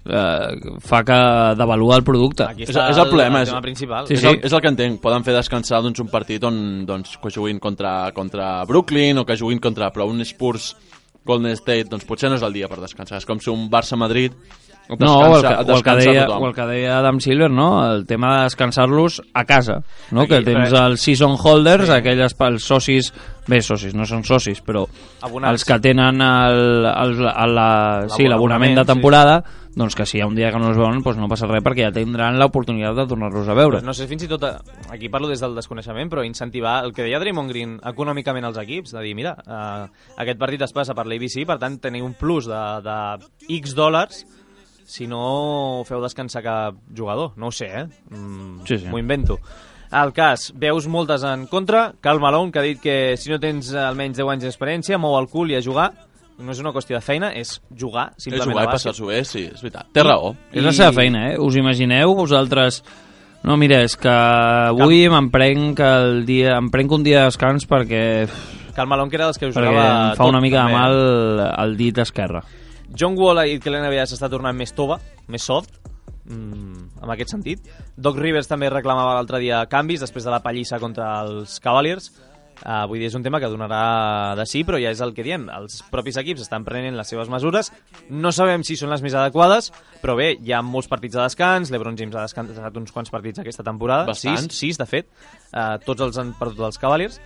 fa que devalua el producte. Aquí És el problema, el tema principal. Sí, És el que entenc. Poden fer descansar un partit on que juguin contra Brooklyn o que juguin contra però un Spurs Golden State, doncs potser no és el dia per descansar. És com si un Barça-Madrid No, o el que deia Adam Silver, no? El tema de descansar-los a casa, no? Aquí, que tens els season holders, aquells els socis, bé, socis, no són socis, però abonats. els que tenen l'abonament de temporada, doncs que si hi ha un dia que no els veuen, doncs no passa res perquè ja tindran l'oportunitat de tornar-los a veure. Pues no sé, fins i tot, aquí parlo des del desconeixement, però incentivar el que deia Draymond Green econòmicament als equips, de dir, mira, aquest partit es passa per l'ABC, per tant tenir un plus de X dòlars si no feu descansar cap jugador. No ho sé, Sí. M'ho invento. El cas, veus moltes en contra. Karl Malone, que ha dit que si no tens almenys 10 anys d'experiència, mou el cul i a jugar. No és una qüestió de feina, és jugar, simplement. És jugar i passar-s'ho bé, sí, és veritat. Té raó. És la seva feina, eh? Us imagineu vosaltres... No, mira, és que avui em prenc un dia de descans perquè Karl Malone, que era dels que us jugava em fa una mica de mal el dit esquerre. John Wall ha dit que l'NBA s'està tornant més tova, més soft, en aquest sentit. Doc Rivers també reclamava l'altre dia canvis després de la pallissa contra els Cavaliers. Vull dir, és un tema que donarà de sí, però ja és el que diem. Els propis equips estan prenent les seves mesures. No sabem si són les més adequades, però bé, hi ha molts partits de descans. LeBron James ha descansat uns quants partits aquesta temporada. Bastants. Sis, de fet. Tots els han perdut els Cavaliers.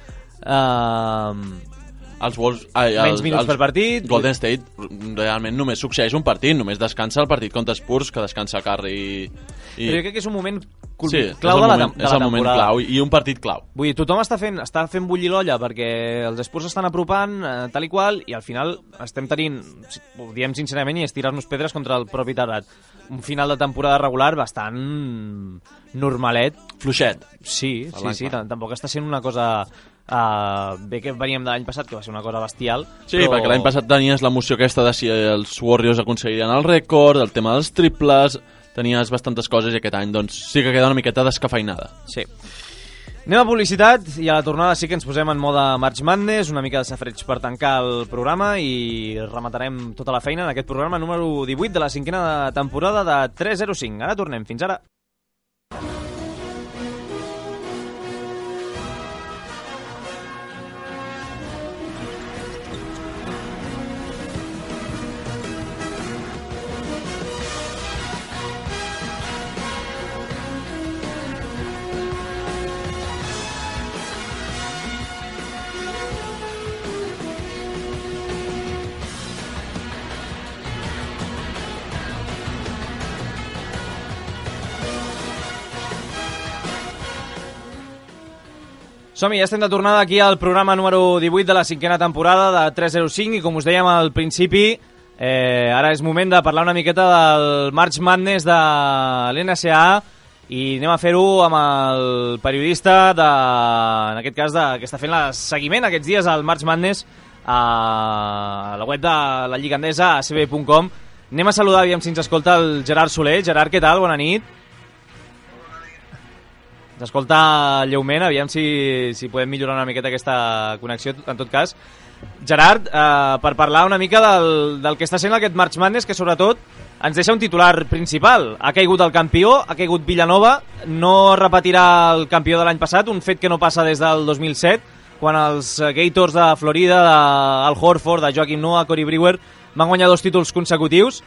Menys minuts per partit. Golden State realment només succeeix un partit, només descansa el partit contra Spurs, que descansa Curry Però jo crec que és un moment clau de la temporada. És el moment clau i un partit clau. Vull dir, tothom està fent bullir l'olla perquè els Spurs estan apropant tal i qual, i al final estem tenint, ho diem sincerament, i és tirar-nos pedres contra el propi terrat. Un final de temporada regular bastant normalet. Fluixet. Sí, tampoc està sent una cosa... bé que veníem de l'any passat, que va ser una cosa bestial. Sí, però... perquè l'any passat tenies l'emoció aquesta de si els Warriors aconseguirien el rècord, el tema dels triples, tenies bastantes coses, i aquest any doncs sí que queda una miqueta descafeinada. Sí. Anem a publicitat i a la tornada sí que ens posem en mode March Madness, una mica de safreig per tancar el programa, i rematarem tota la feina en aquest programa número 18 de la 5a temporada de 305. Ara tornem, fins ara. Som-hi, ja estem de tornada aquí al programa número 18 de la 5a temporada de 305, i com us dèiem al principi, ara és moment de parlar una miqueta del March Madness de l'NCA, i anem a fer-ho amb el periodista, en aquest cas, que està fent el seguiment aquests dies al March Madness a la web de la Lliga Endesa, acb.com. Anem a saludar, aviam si ens escolta, el Gerard Soler. Gerard, què tal? Bona nit. S'escolta lleument, aviam si podem millorar una miqueta aquesta connexió, en tot cas. Gerard, per parlar una mica del que està sent aquest March Madness, que sobretot ens deixa un titular principal. Ha caigut el campió, ha caigut Villanova, no repetirà el campió de l'any passat, un fet que no passa des del 2007, quan els Gators de Florida, Al Horford, de Joakim Noah, Corey Brewer, van guanyar 2 títols consecutius.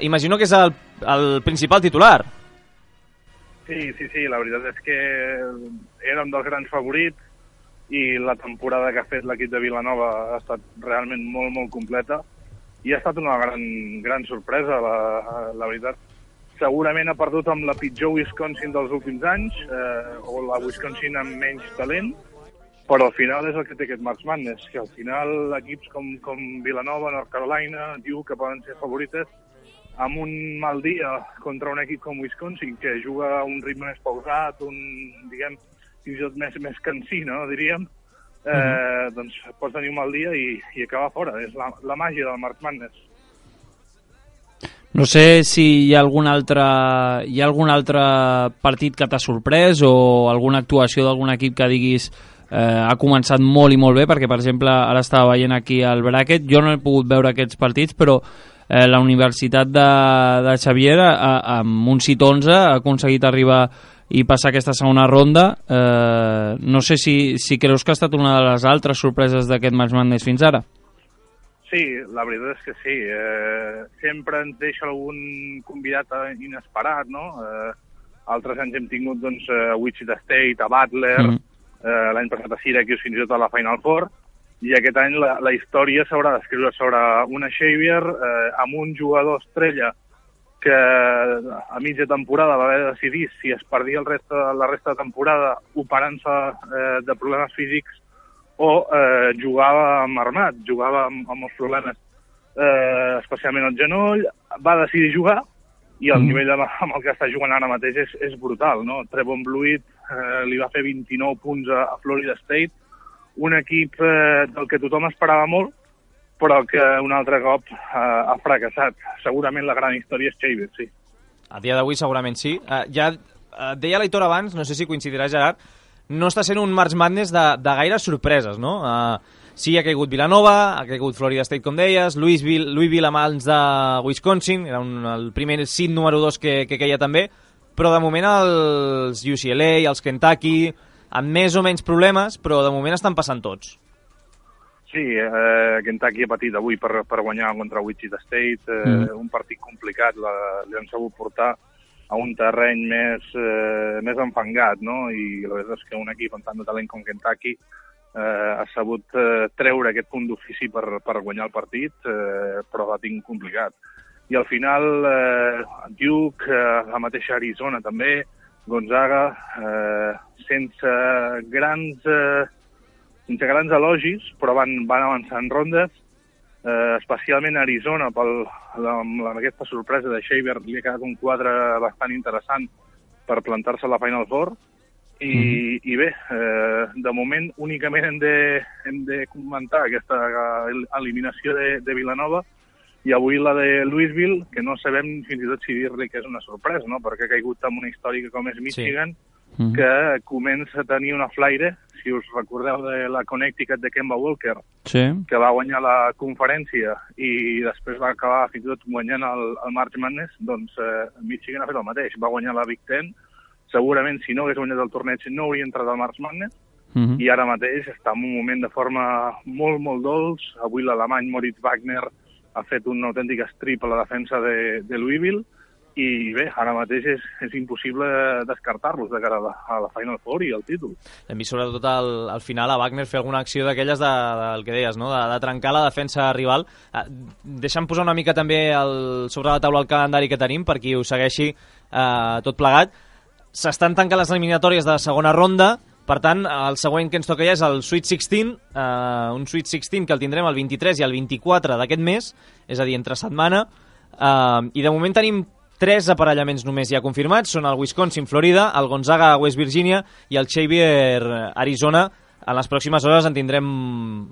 Imagino que és el principal titular. Sí, la veritat és que era un dels grans favorits, i la temporada que ha fet l'equip de Villanova ha estat realment molt, molt completa, i ha estat una gran sorpresa, la veritat. Segurament ha perdut amb la pitjor Wisconsin dels últims anys, o la Wisconsin amb menys talent, però al final és el que té aquest March Madness, que al final equips com Villanova, North Carolina, Duke, que poden ser favorites, amb un mal dia contra un equip com Wisconsin, que juga a un ritme més pausat, diguem, fins i tot més cansí, no, diríem, doncs pots tenir un mal dia i acabar fora. És la màgia del March Madness. No sé si hi ha algun altre partit que t'ha sorprès, o alguna actuació d'algun equip que diguis ha començat molt i molt bé, perquè per exemple ara estava veient aquí el bracket, jo no he pogut veure aquests partits, però la Universitat de Xavier amb un sit 11 ha aconseguit arribar i passar aquesta segona ronda. No sé si creus que ha estat una de les altres sorpreses d'aquest March Madness fins ara. Sí, la veritat és que sí. Sempre ens deixa algun convidat inesperat, no? Altres anys hem tingut doncs, a Wichita State, a Butler, l'any passat a Syracuse, fins i tot a la Final Four, i aquest any la història s'haurà d'escriure sobre una Xavier amb un jugador estrella que a mitja temporada va haver de decidir si es perdia la resta de temporada operant-se de problemes físics o jugava amb armat, jugava amb els problemes, especialment al genoll, va decidir jugar, i el nivell amb el que està jugant ara mateix és brutal, no? Trevon Bluiett li va fer 29 punts a Florida State, un equip del que tothom esperava molt, però que un altre cop ha fracassat. Segurament la gran història és Xavier, sí. A dia d'avui segurament sí. Ja deia l'Aitor abans, no sé si coincidirà Gerard, no està sent un March Madness de gaires sorpreses, no? Sí, ha caigut Villanova, ha caigut Florida State, com deies, Louisville a mans de Wisconsin, era el primer seed número 2 que queia també, però de moment els UCLA, els Kentucky, amb més o menys problemes, però de moment estan passant tots. Sí, Kentucky ha patit avui per guanyar contra Wichita State, un partit complicat, li han sabut portar a un terreny més enfangat, no? I la veritat és que un equip amb tant de talent com Kentucky ha sabut treure aquest punt d'ofici per guanyar el partit, però l'ha tingut complicat. I al final Duke, la mateixa Arizona també, Gonzaga, sense grans elogis, però van avançar en rondes, especialment a Arizona, amb aquesta sorpresa de Xavier, li ha quedat un quadre bastant interessant per plantar-se a la Final Four, i bé, de moment únicament hem de comentar aquesta eliminació de Villanova, i avui la de Louisville, que no sabem fins i tot si dir-li que és una sorpresa, no? Perquè ha caigut amb una històrica com és Michigan, que comença a tenir una flaire, si us recordeu de la Connecticut de Kemba Walker, que va guanyar la conferència i després va acabar fins i tot guanyant el March Madness, doncs Michigan ha fet el mateix, va guanyar la Big Ten, segurament si no hagués guanyat el torneig no hauria entrat al March Madness, i ara mateix està en un moment de forma molt, molt dolç. Avui l'alemany Moritz Wagner ha fet un autèntic strip a la defensa de Louisville, i bé, ara mateix és impossible descartar-los de cara a la Final Four i al títol. Hem vist sobretot al final a Wagner fer alguna acció d'aquelles del que deies, no? de trencar la defensa rival. Deixa'm posar una mica també sobre la taula el calendari que tenim per qui ho segueixi tot plegat. S'estan tancant les eliminatòries de la segona ronda, per tant, el següent que ens toca ja és el Sweet 16, un Sweet 16 que el tindrem el 23 i el 24 d'aquest mes, és a dir, entre setmana, i de moment tenim 3 aparellaments només ja confirmats, són el Wisconsin, Florida, el Gonzaga, West Virginia i el Xavier, Arizona. En les pròximes hores en tindrem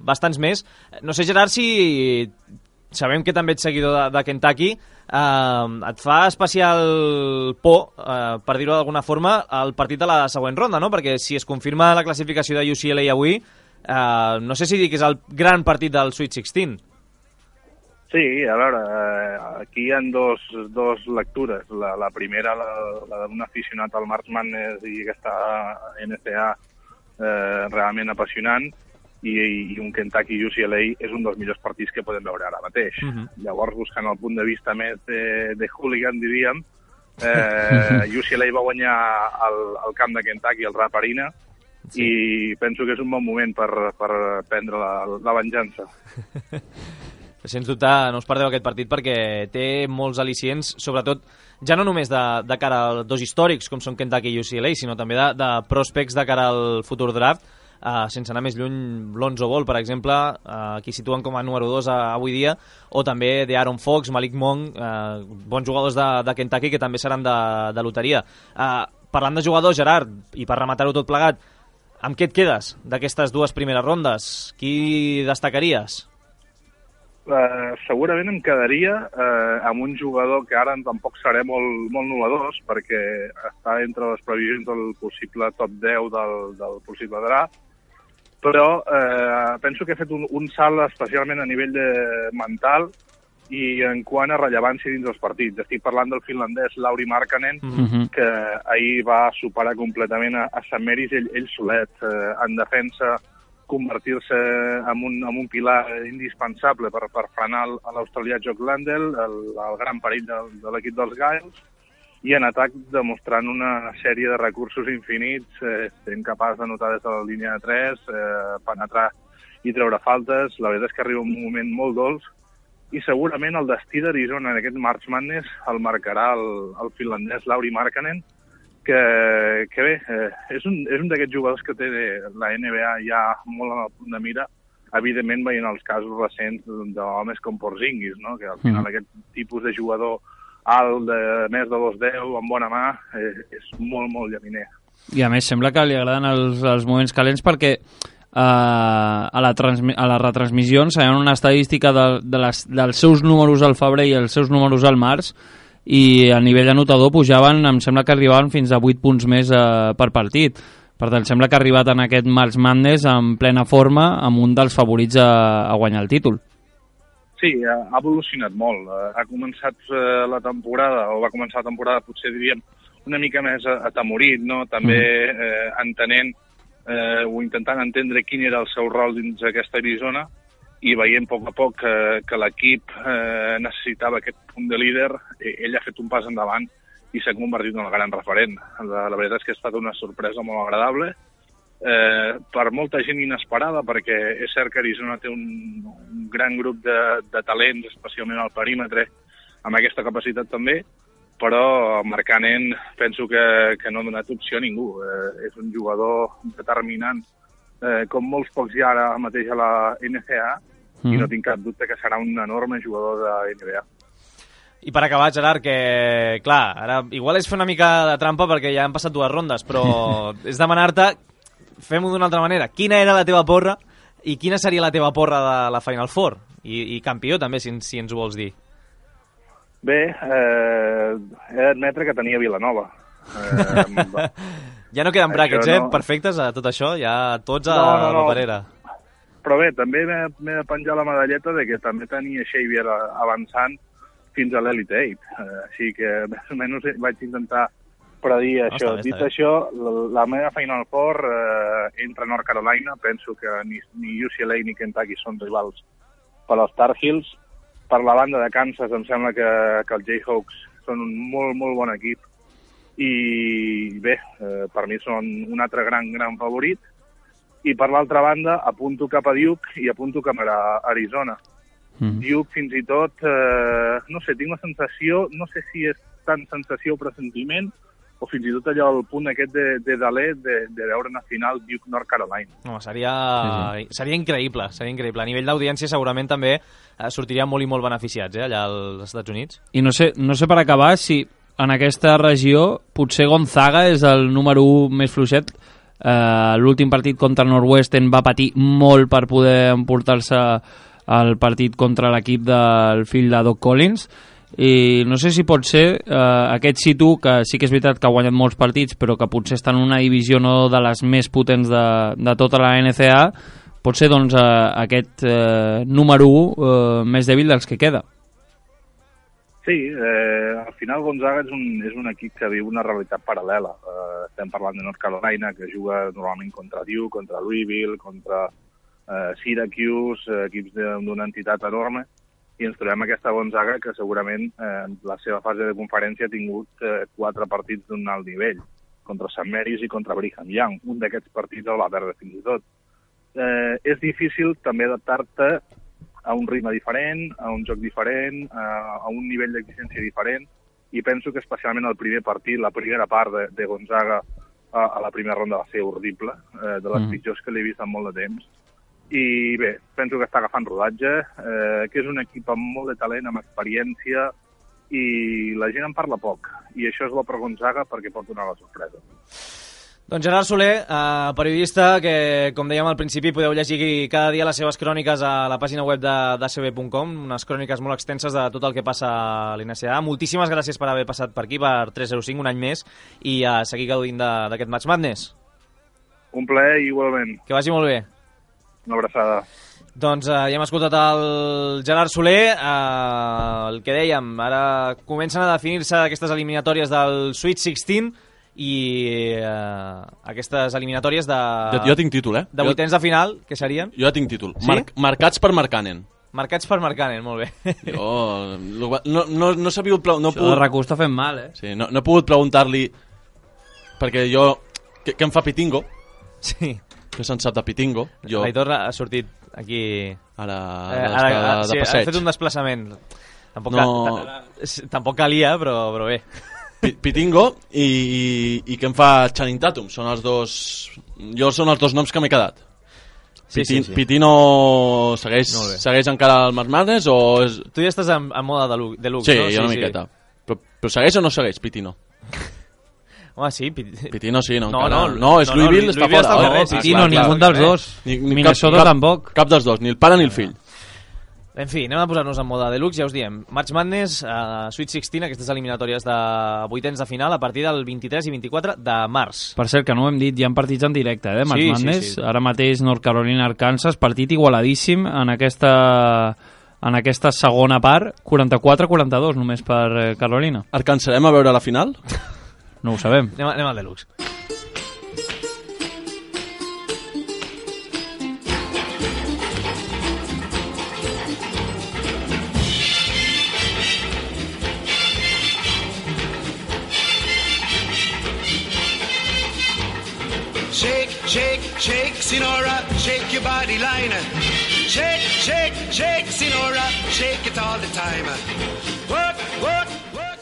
bastants més. No sé, Gerard, si sabem que també ets seguidor de Kentucky, et fa especial por, per dir-ho d'alguna forma, el partit de la següent ronda, no? Perquè si es confirma la classificació de UCLA avui, no sé si dir que és el gran partit del Sweet 16. Sí, a veure, aquí hi ha dos lectures. La primera, la d'un aficionat al March Madness i aquesta NCAA realment apassionant, i un Kentucky UCLA és un dels millors partits que podem veure ara mateix. Llavors, buscant el punt de vista més de hooligan, diríem, UCLA va guanyar el camp de Kentucky, el Rupp Arena, i penso que és un bon moment per prendre la venjança. Sens dubte, no us perdeu aquest partit perquè té molts al·licients, sobretot ja no només de cara als dos històrics com són Kentucky i UCLA, sinó també de prospects de cara al futur draft. Sense anar més lluny, Lonzo Ball, per exemple, aquí situen com a número 2 avui dia, o també d'Aaron Fox, Malik Monk, bons jugadors de Kentucky que també seran de loteria. Parlant de jugadors, Gerard, i per rematar-ho tot plegat, amb què et quedes d'aquestes dues primeres rondes? Qui destacaries? Segurament em quedaria amb un jugador que ara tampoc seré molt novedós, perquè està entre les previsions del possible top 10 del possible draft, però penso que ha fet un salt especialment a nivell mental i en quant a rellevància dins els partits. Estic parlant del finlandès Lauri Markkanen, que ahir va superar completament a Sant Meris ell solet. En defensa, convertir-se en un pilar indispensable per frenar l'australià Jock Landel, el gran perill de l'equip dels Gales, i en atac demostrant una sèrie de recursos infinits, sent capaç de notar des de la línia de 3, penetrar i treure faltes. La veritat és que arriba un moment molt dolç i segurament el destí d'Arizona en aquest March Madness el marcarà el finlandès Lauri Markkanen, que bé, és un d'aquests jugadors que té la NBA ja molt a punt de mira, evidentment veient els casos recents d'homes com Porzingis, no? Que al final aquest tipus de jugador alt, de més de 2'10", amb bona mà, és molt, molt llaminer. I a més sembla que li agraden els moments calents perquè a les retransmissions hi ha una estadística dels seus números al febrer i els seus números al març, i a nivell anotador pujaven, em sembla que arribaven fins a 8 punts més per partit. Per tant, sembla que ha arribat en aquest March Madness en plena forma, amb un dels favorits a guanyar el títol. Sí, ha evolucionat molt. Ha començat la temporada, o va començar la temporada, potser diríem, una mica més atemorit, no? També entenent o intentant entendre quin era el seu rol dins aquesta Arizona, i veient a poc que l'equip necessitava aquest punt de líder. Ell ha fet un pas endavant i s'ha convertit en el gran referent. La veritat és que ha estat una sorpresa molt agradable, per molta gent inesperada, perquè és cert que Arizona té un gran grup de talents, especialment al perímetre, amb aquesta capacitat també, però Markkanen penso que no ha donat opció a ningú. És un jugador determinant, com molts pocs hi ha ara mateix a la NCAA, i no tinc cap dubte que serà un enorme jugador de NBA. I per acabar, Gerard, que, clar, ara igual és fer una mica de trampa perquè ja han passat 2 rondes, però és demanar-te, fem-ho d'una altra manera, quina era la teva porra i quina seria la teva porra de la Final Four? I campió, també, si ens ho vols dir. Bé, he d'admetre que tenia Vilanova. Ja no queden brackets, perfectes a tot això, ja tots a la paperera. Però bé, també m'he de penjar la medalleta de que també tenia Xavier avançant fins a l'Elite 8. Així que més o menys vaig intentar predir això. Dit això, la meva Final Four entre North Carolina, penso que ni UCLA ni Kentucky són rivals per als Tar Heels. Per la banda de Kansas em sembla que els Jayhawks són un molt, molt bon equip. I bé, per mi són un altre gran favorit. I per l'altra banda apunto cap a Duke i apunto cap a Arizona. Duke fins i tot, no sé, tinc la sensació, no sé si és tant sensació o pressentiment, o fins i tot allò, el punt aquest de Dalé, de veure una final Duke-North Carolina. No, seria increïble, seria increïble. A nivell d'audiència segurament també sortiria molt i molt beneficiats, allà als Estats Units. I no sé per acabar si en aquesta regió potser Gonzaga és el número 1 més fluixet. L'últim partit contra Northwestern va patir molt per poder emportar-se el partit contra l'equip del fill de Doc Collins, i no sé si pot ser aquest situ, que sí que és veritat que ha guanyat molts partits, però que potser està en una divisió no de les més potents de tota la NCAA, pot ser doncs aquest número 1 més dèbil dels que queda. Sí, al final Gonzaga és un equip que viu una realitat paral·lela. Estem parlant de North Carolina, que juga normalment contra Duke, contra Louisville, contra Syracuse, equips d'una entitat enorme, i ens trobem aquesta Gonzaga que segurament en la seva fase de conferència ha tingut 4 partits d'un alt nivell, contra St. Mary's i contra Brigham Young. Un d'aquests partits el va perdre fins i tot. És difícil també adaptar-te a un ritme diferent, a un joc diferent, a un nivell d'exigència diferent, i penso que especialment el primer partit, la primera part de Gonzaga a la primera ronda va ser horrible, de les pitjors que l'he vist en molt de temps. I bé, penso que està agafant rodatge, que és un equip amb molt de talent, amb experiència, i la gent en parla poc. I això és bo per Gonzaga perquè pot donar la sorpresa. Doncs Gerard Soler, periodista que, com dèiem al principi, podeu llegir cada dia les seves cròniques a la pàgina web d'ACB.com, unes cròniques molt extenses de tot el que passa a l'NCAA. Moltíssimes gràcies per haver passat per aquí, per 305, un any més, i a seguir gaudint d'aquest March Madness. Un plaer, igualment. Que vagi molt bé. Una abraçada. Doncs ja hem escoltat el Gerard Soler, el que dèiem, ara comencen a definir-se aquestes eliminatòries del Sweet 16 i aquestes eliminatòries de... Jo tinc títol, De vuitens de final, que serien? Jo ja tinc títol. Sí? Marcats per Markkanen. Marcats per Markkanen, molt bé. Jo no sabia... Això de RAC1 està fent mal, Sí, no he pogut preguntar-li perquè jo... Què em fa Pitingo? Sí. Què se'n sap de Pitingo? L'Aitor ha sortit aquí... Ara sí, ha fet un desplaçament. Tampoc calia, però bé. Pitingo i què em fa Channing Tatum? Són els dos... Jo són els dos noms que m'he quedat. Sí. Pitino segueix encara al March Madness o... Tu ja estàs en moda de luxe, sí, no? Sí, jo una miqueta. Però segueix o no segueix Pitino? Home, sí. Pitino sí, no? No, és Louisville, està fora. Pitino, ningú dels dos. Minnesota tampoc. Cap dels dos, ni el pare ni el fill. En fi, anem a posar-nos en moda deluxe, ja us diem. March Madness, Sweet 16, aquestes eliminatòries de vuitens de final a partir del 23 i 24 de març. Per cert, que no ho hem dit, hi ha partits en directe, March Madness. Sí. Ara mateix North Carolina, Arkansas, partit igualadíssim en aquesta segona part, 44-42 només per Carolina. Arcansarem a veure la final? No ho sabem. Anem al deluxe. Shake, Sinora, shake your body line. Shake, Sinora, shake it all the time. Work,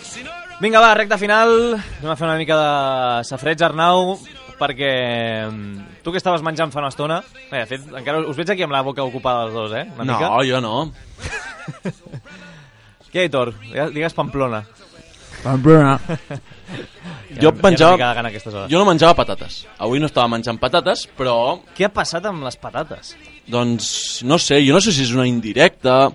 Sinora. Vinga, va, recta final. Anem a fer una mica de safreig, Arnau, perquè tu que estaves menjant fa una estona... De fet, encara us veig aquí amb la boca ocupada els dos, Una mica. No, jo no. Què, Aitor? Digues Pamplona. Pamplona. Jo no menjava patates. Avui no estava menjant patates, però... Què ha passat amb les patates? Doncs no sé, jo no sé si és una indirecta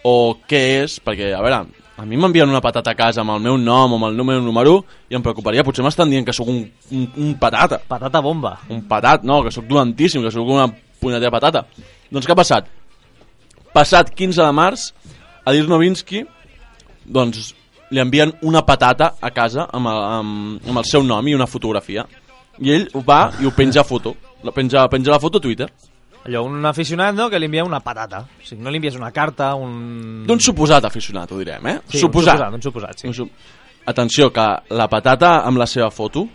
o què és, perquè, a veure, a mi m'envien una patata a casa amb el meu nom o amb el meu número i em preocuparia, potser m'estan dient que sóc un patata. Patata bomba. Un patat, no, que sóc dolentíssim, que sóc una punyetera patata. Doncs què ha passat? Passat 15 de març, a Dirk Nowitzki, doncs li envien una patata a casa amb el seu nom i una fotografia. I ell va i ho penja a foto. Penja la foto a Twitter. Allò, un aficionat, no?, que li envia una patata. O sigui, no li envies una carta, d'un suposat aficionat, ho direm, Sí, un suposat, sí. Atenció, que la patata amb la seva foto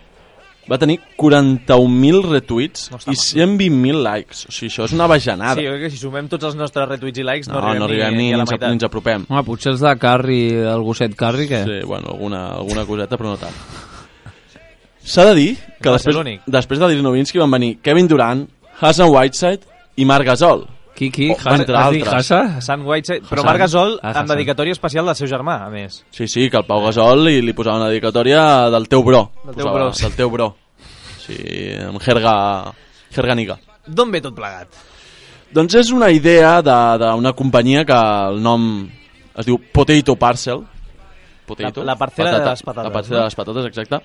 va tenir 41.000 retuits i 120.000 likes. O sigui, això és una bajanada. Sí, jo crec que si sumem tots els nostres retuits i likes no arribem ni a la meitat. Ni ens apropem. Home, potser els de Carri, el gosset Carri, què? Sí, bueno, alguna coseta, però no tant. S'ha de dir que després de Dirk Nowitzki van venir Kevin Durant, Hassan Whiteside i Marc Gasol. Qui? Entre altres. Hassan Whiteside, però Marc Gasol amb dedicatòria especial del seu germà, a més. Sí, que el Pau Gasol li posava una dedicatòria del teu bro. Del teu bro. Sí, amb jerga-niga. D'on ve tot plegat? Doncs és una idea d'una companyia que el nom es diu Potato Parcel. La parcel·la de les patates. La parcel·la de les patates, exacte.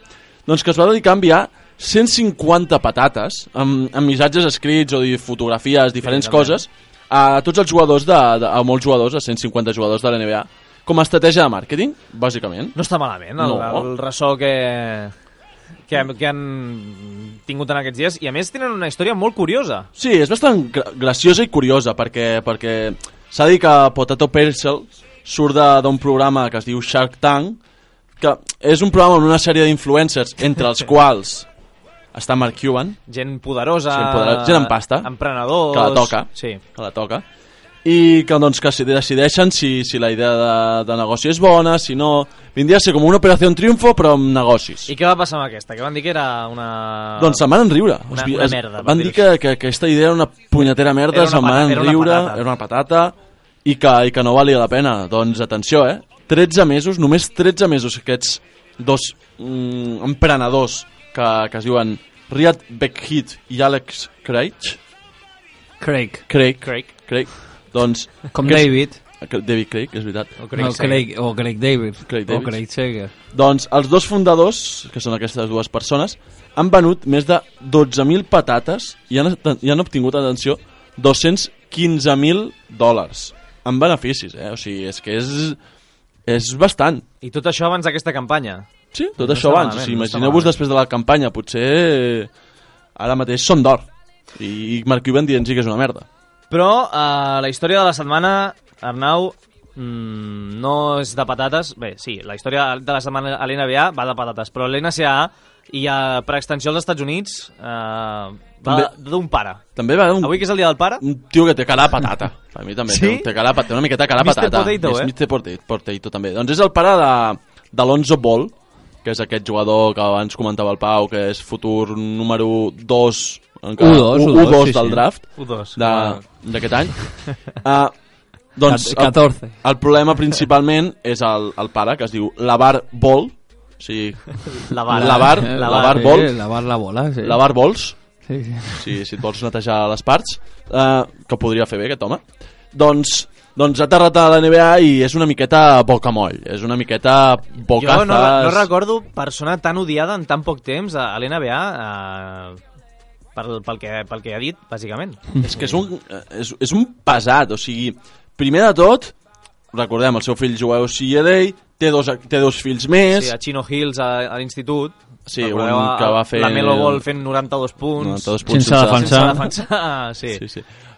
Doncs que es va dedicar a enviar 150 patates amb missatges escrits o fotografies, diferents coses, a tots els jugadors, a molts jugadors, a 150 jugadors de la NBA, com a estratègia de màrqueting, bàsicament. No està malament el ressò que han tingut en aquests dies, i a més tenen una història molt curiosa. Sí, és bastant graciosa i curiosa, perquè s'ha dit que Potato Parcel surt d'un programa que es diu Shark Tank, que és un programa amb una sèrie d'influencers, entre els quals està Mark Cuban. Gent poderosa, gent amb pasta, emprenedors... Que la toca. I que, doncs, que decideixen si la idea de negoci és bona, si no... Vindria a ser com una operació triomfo, però amb negocis. I què va passar amb aquesta? Que van dir que era una... Doncs se'n van enriure. Una merda. Van dir que aquesta idea era una punyetera merda, se'n van enriure, era una patata, i que no valia la pena. Doncs atenció, 13 mesos, només 13 mesos, aquests dos emprenedors que es diuen Riyad Bekheat i Alex Craig. Craig. Doncs, com David Craig, és veritat. O Craig David. O Craig Sager. Doncs els dos fundadors, que són aquestes dues persones, han venut més de 12.000 patates i han obtingut, atenció, 200 $15.000 en beneficis, O sigui, és que és bastant. I tot això abans d'aquesta campanya. Sí, tot això abans. O sigui, imagineu-vos després de la campanya, potser ara mateix són d'or. I Mark Cuban dient-hi que és una merda. Però la història de la setmana, Arnau, no és de patates. Bé, sí, la història de la setmana a l'NBA va de patates, però l'NCAA i per extensió als Estats Units va d'un pare. També va d'un... Avui que és el dia del pare? Un tio que té cara de patata. A mi també sí? té una miqueta cara de patata. Potato, Mr. Potato també. Doncs és el pare d'Alonzo Ball, que és aquest jugador que abans comentava el Pau, que és futur número 2 U2 del draft d'aquest any. Doncs 14. El problema principalment és el pare, que es diu LaVar Ball. Sí. LaVar Ball. LaVar la bola, sí. LaVar Balls. Sí. Si et vols netejar les parts, que podria fer bé aquest home. Doncs ha aterrat a la NBA i és una miqueta bocamoll. És una miqueta bocazas. Jo no recordo persona tan odiada en tan poc temps a l'NBA pel que ha dit, bàsicament. És que és un pesat, o sigui, primer de tot, recordem, el seu fill juga a UCLA, té dos fills més. Sí, a Chino Hills a l'institut. Sí, un que va fer... La Melo Ball fent 92 punts. Sense defensar.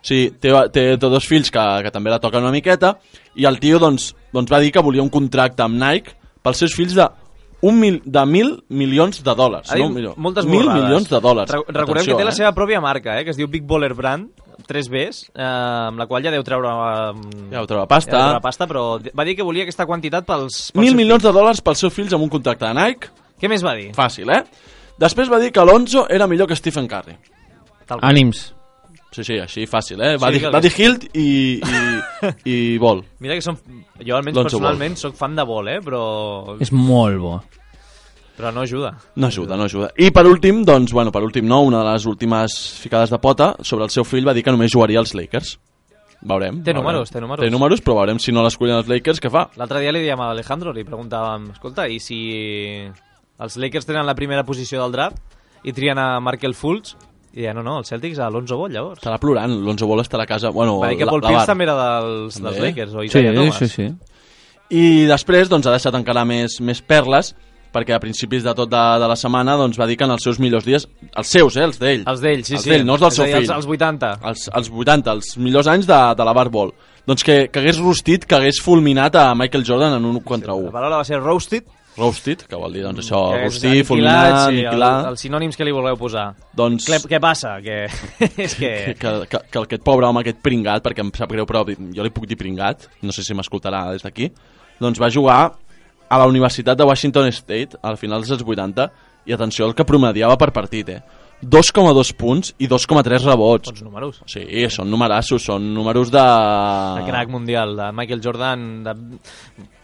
Sí, té dos fills que també la toquen una miqueta, i el tio doncs va dir que volia un contracte amb Nike pels seus fills de $1.000 milions. Moltes $1.000 milions. Recordem que té la seva pròpia marca, que es diu Big Baller Brand, 3 Bs, amb la qual ja deu treure pasta, però va dir que volia aquesta quantitat pels $1.000 milions pels seus fills amb un contracte de Nike. Què més va dir? Fàcil, Després va dir que Alonso era millor que Stephen Curry. Ànims. Sí, així fàcil, Va dir Hilt i Ball. Mira que jo almenys personalment soc fan de Ball, però... És molt bo. Però no ajuda. No ajuda. I per últim, una de les últimes ficades de pota, sobre el seu fill va dir que només jugaria als Lakers. Veurem. Té números. Té números, però veurem si no l'escollen els Lakers, què fa? L'altre dia li dèiem a Alejandro, li preguntàvem, escolta, i si els Lakers tenen la primera posició del draft i trien a Markel Fultz, i ja no, els Celtics a Alonzo Ball, llavors. Estarà plorant, l'Alonzo Ball estarà a casa... Bueno, va dir que Paul Pierce també era dels Lakers, o Isaiah Thomas. Sí. I després ha deixat encara més perles, perquè a principis de tot de la setmana va dir que en els seus millors dies, els seus, els d'ell. Els d'ell, sí. No els del seu fill. Els 80. Els 80, els millors anys de LaVar Ball. Doncs que hagués rostit, que hagués fulminat a Michael Jordan en 1 contra 1. La paraula va ser roasted. Roasted, que vol dir, doncs això, rostir, fulminar, aniquilar... Els sinònims que li voleu posar. Doncs... Què passa? És que aquest pobre home, aquest pringat, perquè em sap greu, però jo li puc dir pringat, no sé si m'escoltarà des d'aquí, doncs va jugar a la Universitat de Washington State al final dels 80, i atenció, el que promediava per partit, 2,2 punts i 2,3 rebots. Bons números. Sí, són numerassos, són números de... De crack mundial, de Michael Jordan, de...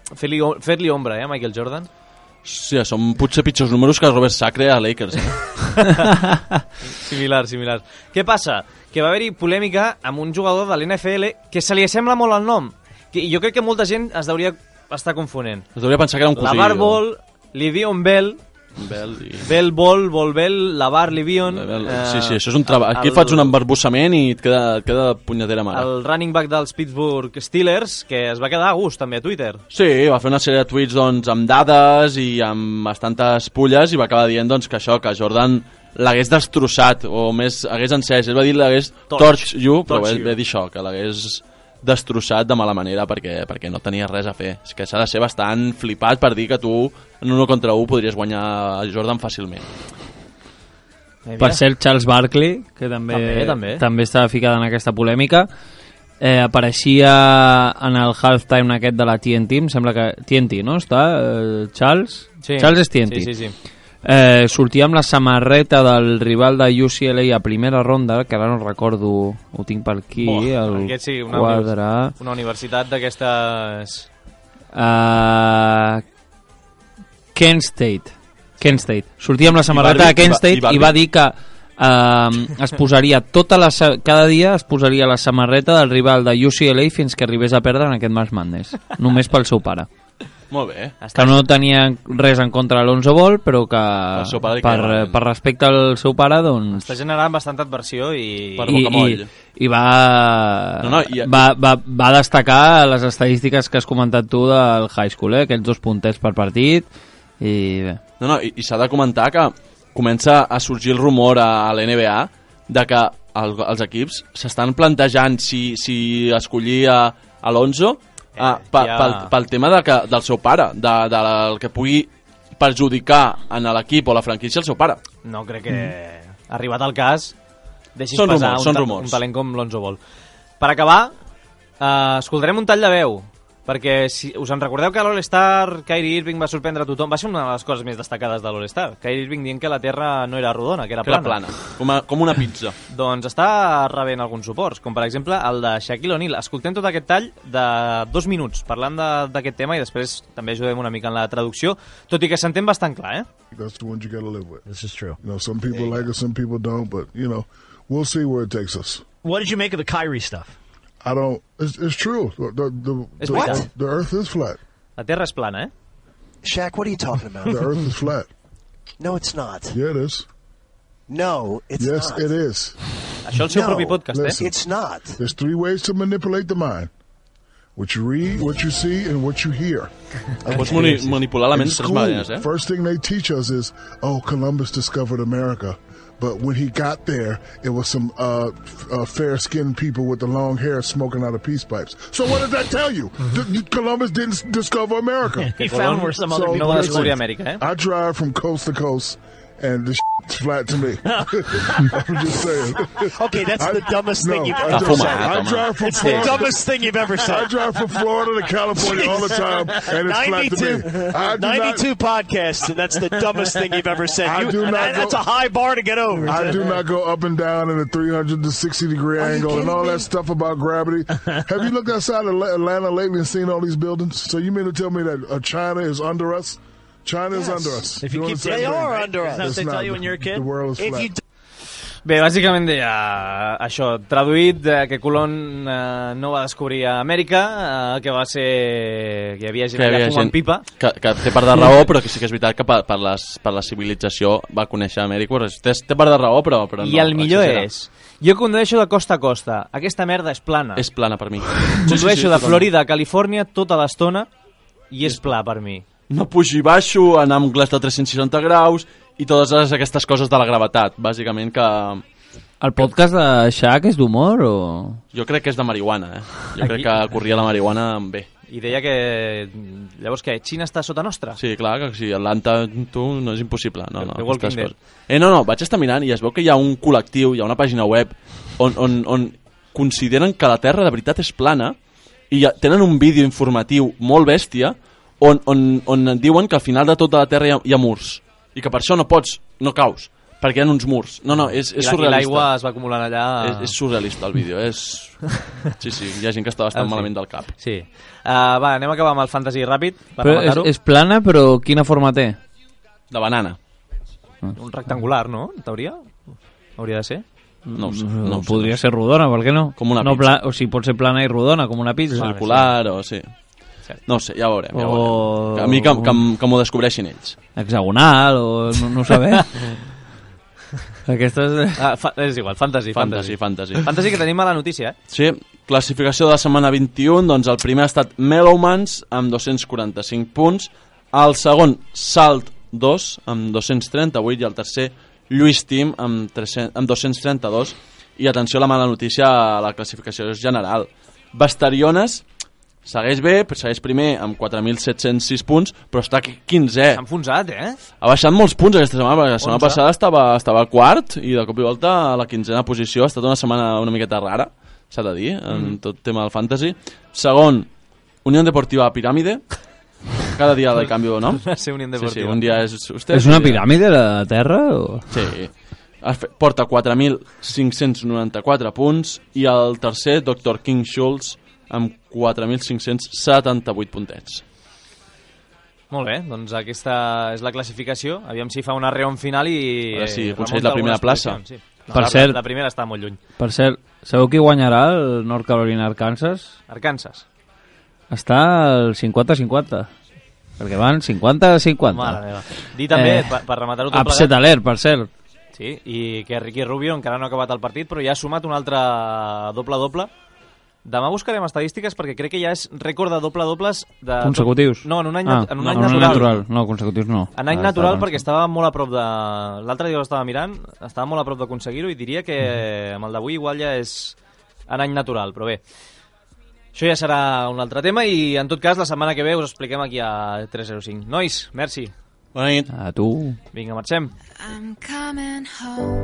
Fer-li ombra, Michael Jordan. Sí, són potser pitjors números que Robert Sacre a Lakers. Similar. Què passa? Que va haver-hi polèmica amb un jugador de l'NFL que se li assembla molt al nom. I jo crec que molta gent es deuria estar confonent. Es deuria pensar que era un cosí. LaVar Ball, Livion Bell, Bell Ball, Ball Bell, LaVar Livion... Sí, això és un treball. Aquí faig un embarbussament i et queda punyetera mare. El running back dels Pittsburgh Steelers, que es va quedar a gust també a Twitter. Sí, va fer una sèrie de tuits amb dades i amb bastantes pulles i va acabar dient que això, que Jordan l'hagués destrossat, o més hagués encès. Ell va dir l'hagués torch you, però va dir això, que l'hagués destrossat de mala manera perquè no tenia res a fer. És que s'ha de ser bastant flipat per dir que tu en 1 contra 1 podries guanyar a Jordan fàcilment. Per cert, Charles Barkley, que també estava ficat en aquesta polèmica, apareixia en el halftime aquest de la TNT, em sembla que TNT, no? Està Charles? Sí. Charles és TNT. Sí. Sortia amb la samarreta del rival de UCLA a primera ronda, que ara no recordo, ho tinc per aquí, una universitat d'aquestes... Kent State. Sortia amb la samarreta de Kent State i va dir que es posaria cada dia es posaria la samarreta del rival de UCLA fins que arribés a perdre en aquest March Madness, només pel seu pare. Molt bé. Que no tenia res en contra de l'Onzo Ball, però que per respecte al seu pare, doncs... Està generant bastanta adversió i... Per bocamoll. I va destacar les estadístiques que has comentat tu del high school, aquells 2 puntets per partit, i bé. I s'ha de comentar que comença a sorgir el rumor a l'NBA de que els equips s'estan plantejant si escollir a Alonso pel tema del seu pare, del que pugui perjudicar en l'equip o la franquícia el seu pare. No crec que, arribat al cas, deixis són passar rumors. Un talent com l'Onzo Ball. Per acabar, escoltarem un tall de veu, perquè si us en recordeu que a l'All-Star Kyrie Irving va sorprendre a tothom, va ser una de les coses més destacades de l'All-Star. Kyrie Irving dient que la Terra no era rodona, que era plana. Com una pizza. Doncs està rebent alguns suports, com per exemple el de Shaquille O'Neal. Escoltem tot aquest tall de 2 minuts parlant d'aquest tema i després també ajudem una mica en la traducció, tot i que s'entén bastant clar, That's the ones you gotta live with. This is true. Some people like it, some people don't, but, we'll see where it takes us. What did you make of the Kyrie stuff? I don't. It's true. The Earth is flat. La Terra és plana, Shaq, what are you talking about? The Earth is flat. No, it's not. Yeah, it is. No, it's yes, not. It is. Això el seu propi podcast, Listen, It's not. There's 3 ways to manipulate the mind. What you read, what you see, and what you hear. Pots manipular la ment de 3 maneres, First thing they teach us is, Columbus discovered America. But when he got there, it was some fair-skinned people with the long hair smoking out of peace pipes. So what does that tell you? Columbus didn't discover America. He found where some other people no va descobrir Amèrica, I drive from coast to coast, and this is flat to me. I'm just saying. Okay, that's the dumbest thing you've ever said. I drive from It's the dumbest thing you've ever said. I drive from Florida to California all the time, and it's flat to me. 92 podcasts, and that's the dumbest thing you've ever said. That's a high bar to get over. I do not go up and down in a 360-degree angle and all that stuff about gravity. Have you looked outside of Atlanta lately and seen all these buildings? So you mean to tell me that China is under us? China is under us. If you keep they are under us. Isn't that what they tell you when you're a kid? The world is flat. Bé, bàsicament deia això, traduït, que Colón no va descobrir a Amèrica, que va ser... que hi havia gent allà fumant pipa. Que té part de raó, però que sí que és veritat que per la civilització va conèixer Amèrica. Té part de raó, però no. I el millor és... Jo condueixo de costa a costa. Aquesta merda és plana. És plana per mi. Condueixo de Florida a Califòrnia tota l'estona i és pla per mi. No pujo i baixo, anar amb glaç de 360 graus i totes aquestes coses de la gravetat, bàsicament que... El podcast de Shaq és d'humor o...? Jo crec que és de marihuana, Jo crec que corria la marihuana bé. I deia que... Llavors què? Xina està sota nostra? Sí, clar, que si Atlanta tu no és impossible. No, Walking Dead. No, vaig estar mirant i es veu que hi ha un col·lectiu, hi ha una pàgina web on consideren que la Terra de veritat és plana i tenen un vídeo informatiu molt bèstia on diuen que al final de tota la Terra hi ha murs i que per això no caus perquè hi ha uns murs. No, és surrealista. I l'aigua es va acumulant allà... És surrealista el vídeo, Sí, hi ha gent que està bastant malament del cap. Sí. Va, anem a acabar amb el fantasy ràpid per rematar-ho. És plana, però quina forma té? De banana. Un rectangular, no? En teoria? Hauria de ser? No ho sé. Podria ser rodona, per què no? Com una pizza. O sigui, pot ser plana i rodona, com una pizza. Circular o sí. No ho sé, ja ho veurem. A mi que m'ho descobreixin ells. Hexagonal o no saber. Aquestes... és igual, fantasy. Fantasy que tenim a la notícia, Sí, classificació de la setmana 21, doncs el primer ha estat Mellowmans amb 245 punts, el segon Salt 2 amb 238 i el tercer Lluís Tim amb 232. I atenció a la mala notícia a la classificació general. Bastariones segueix bé, segueix primer amb 4.706 punts, però està 15è. S'ha enfonsat, Ha baixat molts punts aquesta setmana, perquè la setmana passada estava quart i de cop i volta a la 15a posició. Ha estat una setmana una miqueta rara, s'ha de dir, en tot tema del fantasy. Segon, Unió Deportiva Piràmide. Cada dia de canvi de nom. Sí, Unió Deportiva. Sí, un dia és... És una piràmide la Terra? O... Sí. Porta 4.594 punts i el tercer, Dr. King Schultz, amb 4.578 puntets. Molt bé, doncs aquesta és la classificació. Aviam si fa una reon final i... Sí, aconsegueix la primera plaça. Sí. No, per cert, la primera està molt lluny. Per cert, sabeu qui guanyarà el North Carolina-Arkansas? Arkansas. Està al 50-50. perquè van 50-50. Mare meva. Dir també, per rematar-ho tot upset alert, per cert. Sí, i que Ricky Rubio encara no ha acabat el partit, però ja ha sumat un altre doble-doble. Demà buscarem estadístiques perquè crec que ja és rècord de doble-dobles... Consecutius? No, en un any, en un any natural. No, consecutius no. En any natural perquè estava molt a prop de... L'altre dia l'estava mirant, estava molt a prop d'aconseguir-ho i diria que amb el d'avui igual ja és en any natural, però bé. Això ja serà un altre tema i en tot cas la setmana que ve us expliquem aquí a 305. Nois, merci. Bona nit. A tu. Vinga, marxem. I'm coming home,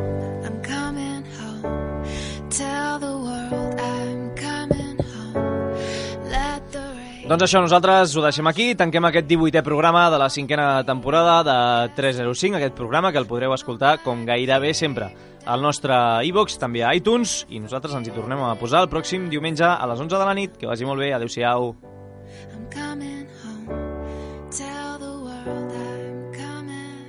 tell the world I'm coming home, let the rain... Doncs això, nosaltres ho deixem aquí, tanquem aquest 18è programa de la 5a temporada de 305, aquest programa que el podreu escoltar com gairebé sempre al nostre iVoox, també a iTunes, i nosaltres ens hi tornem a posar el pròxim diumenge a les 11 de la nit. Que vagi molt bé, adeu-siau. I'm coming home, tell the world I'm coming.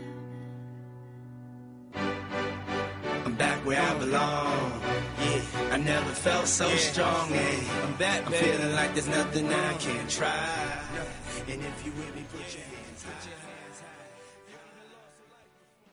I'm back where I belong. Yeah, I never felt so strong. Yeah, I'm back, I'm feeling like there's nothing I can't try. And if you with me, put your hands high.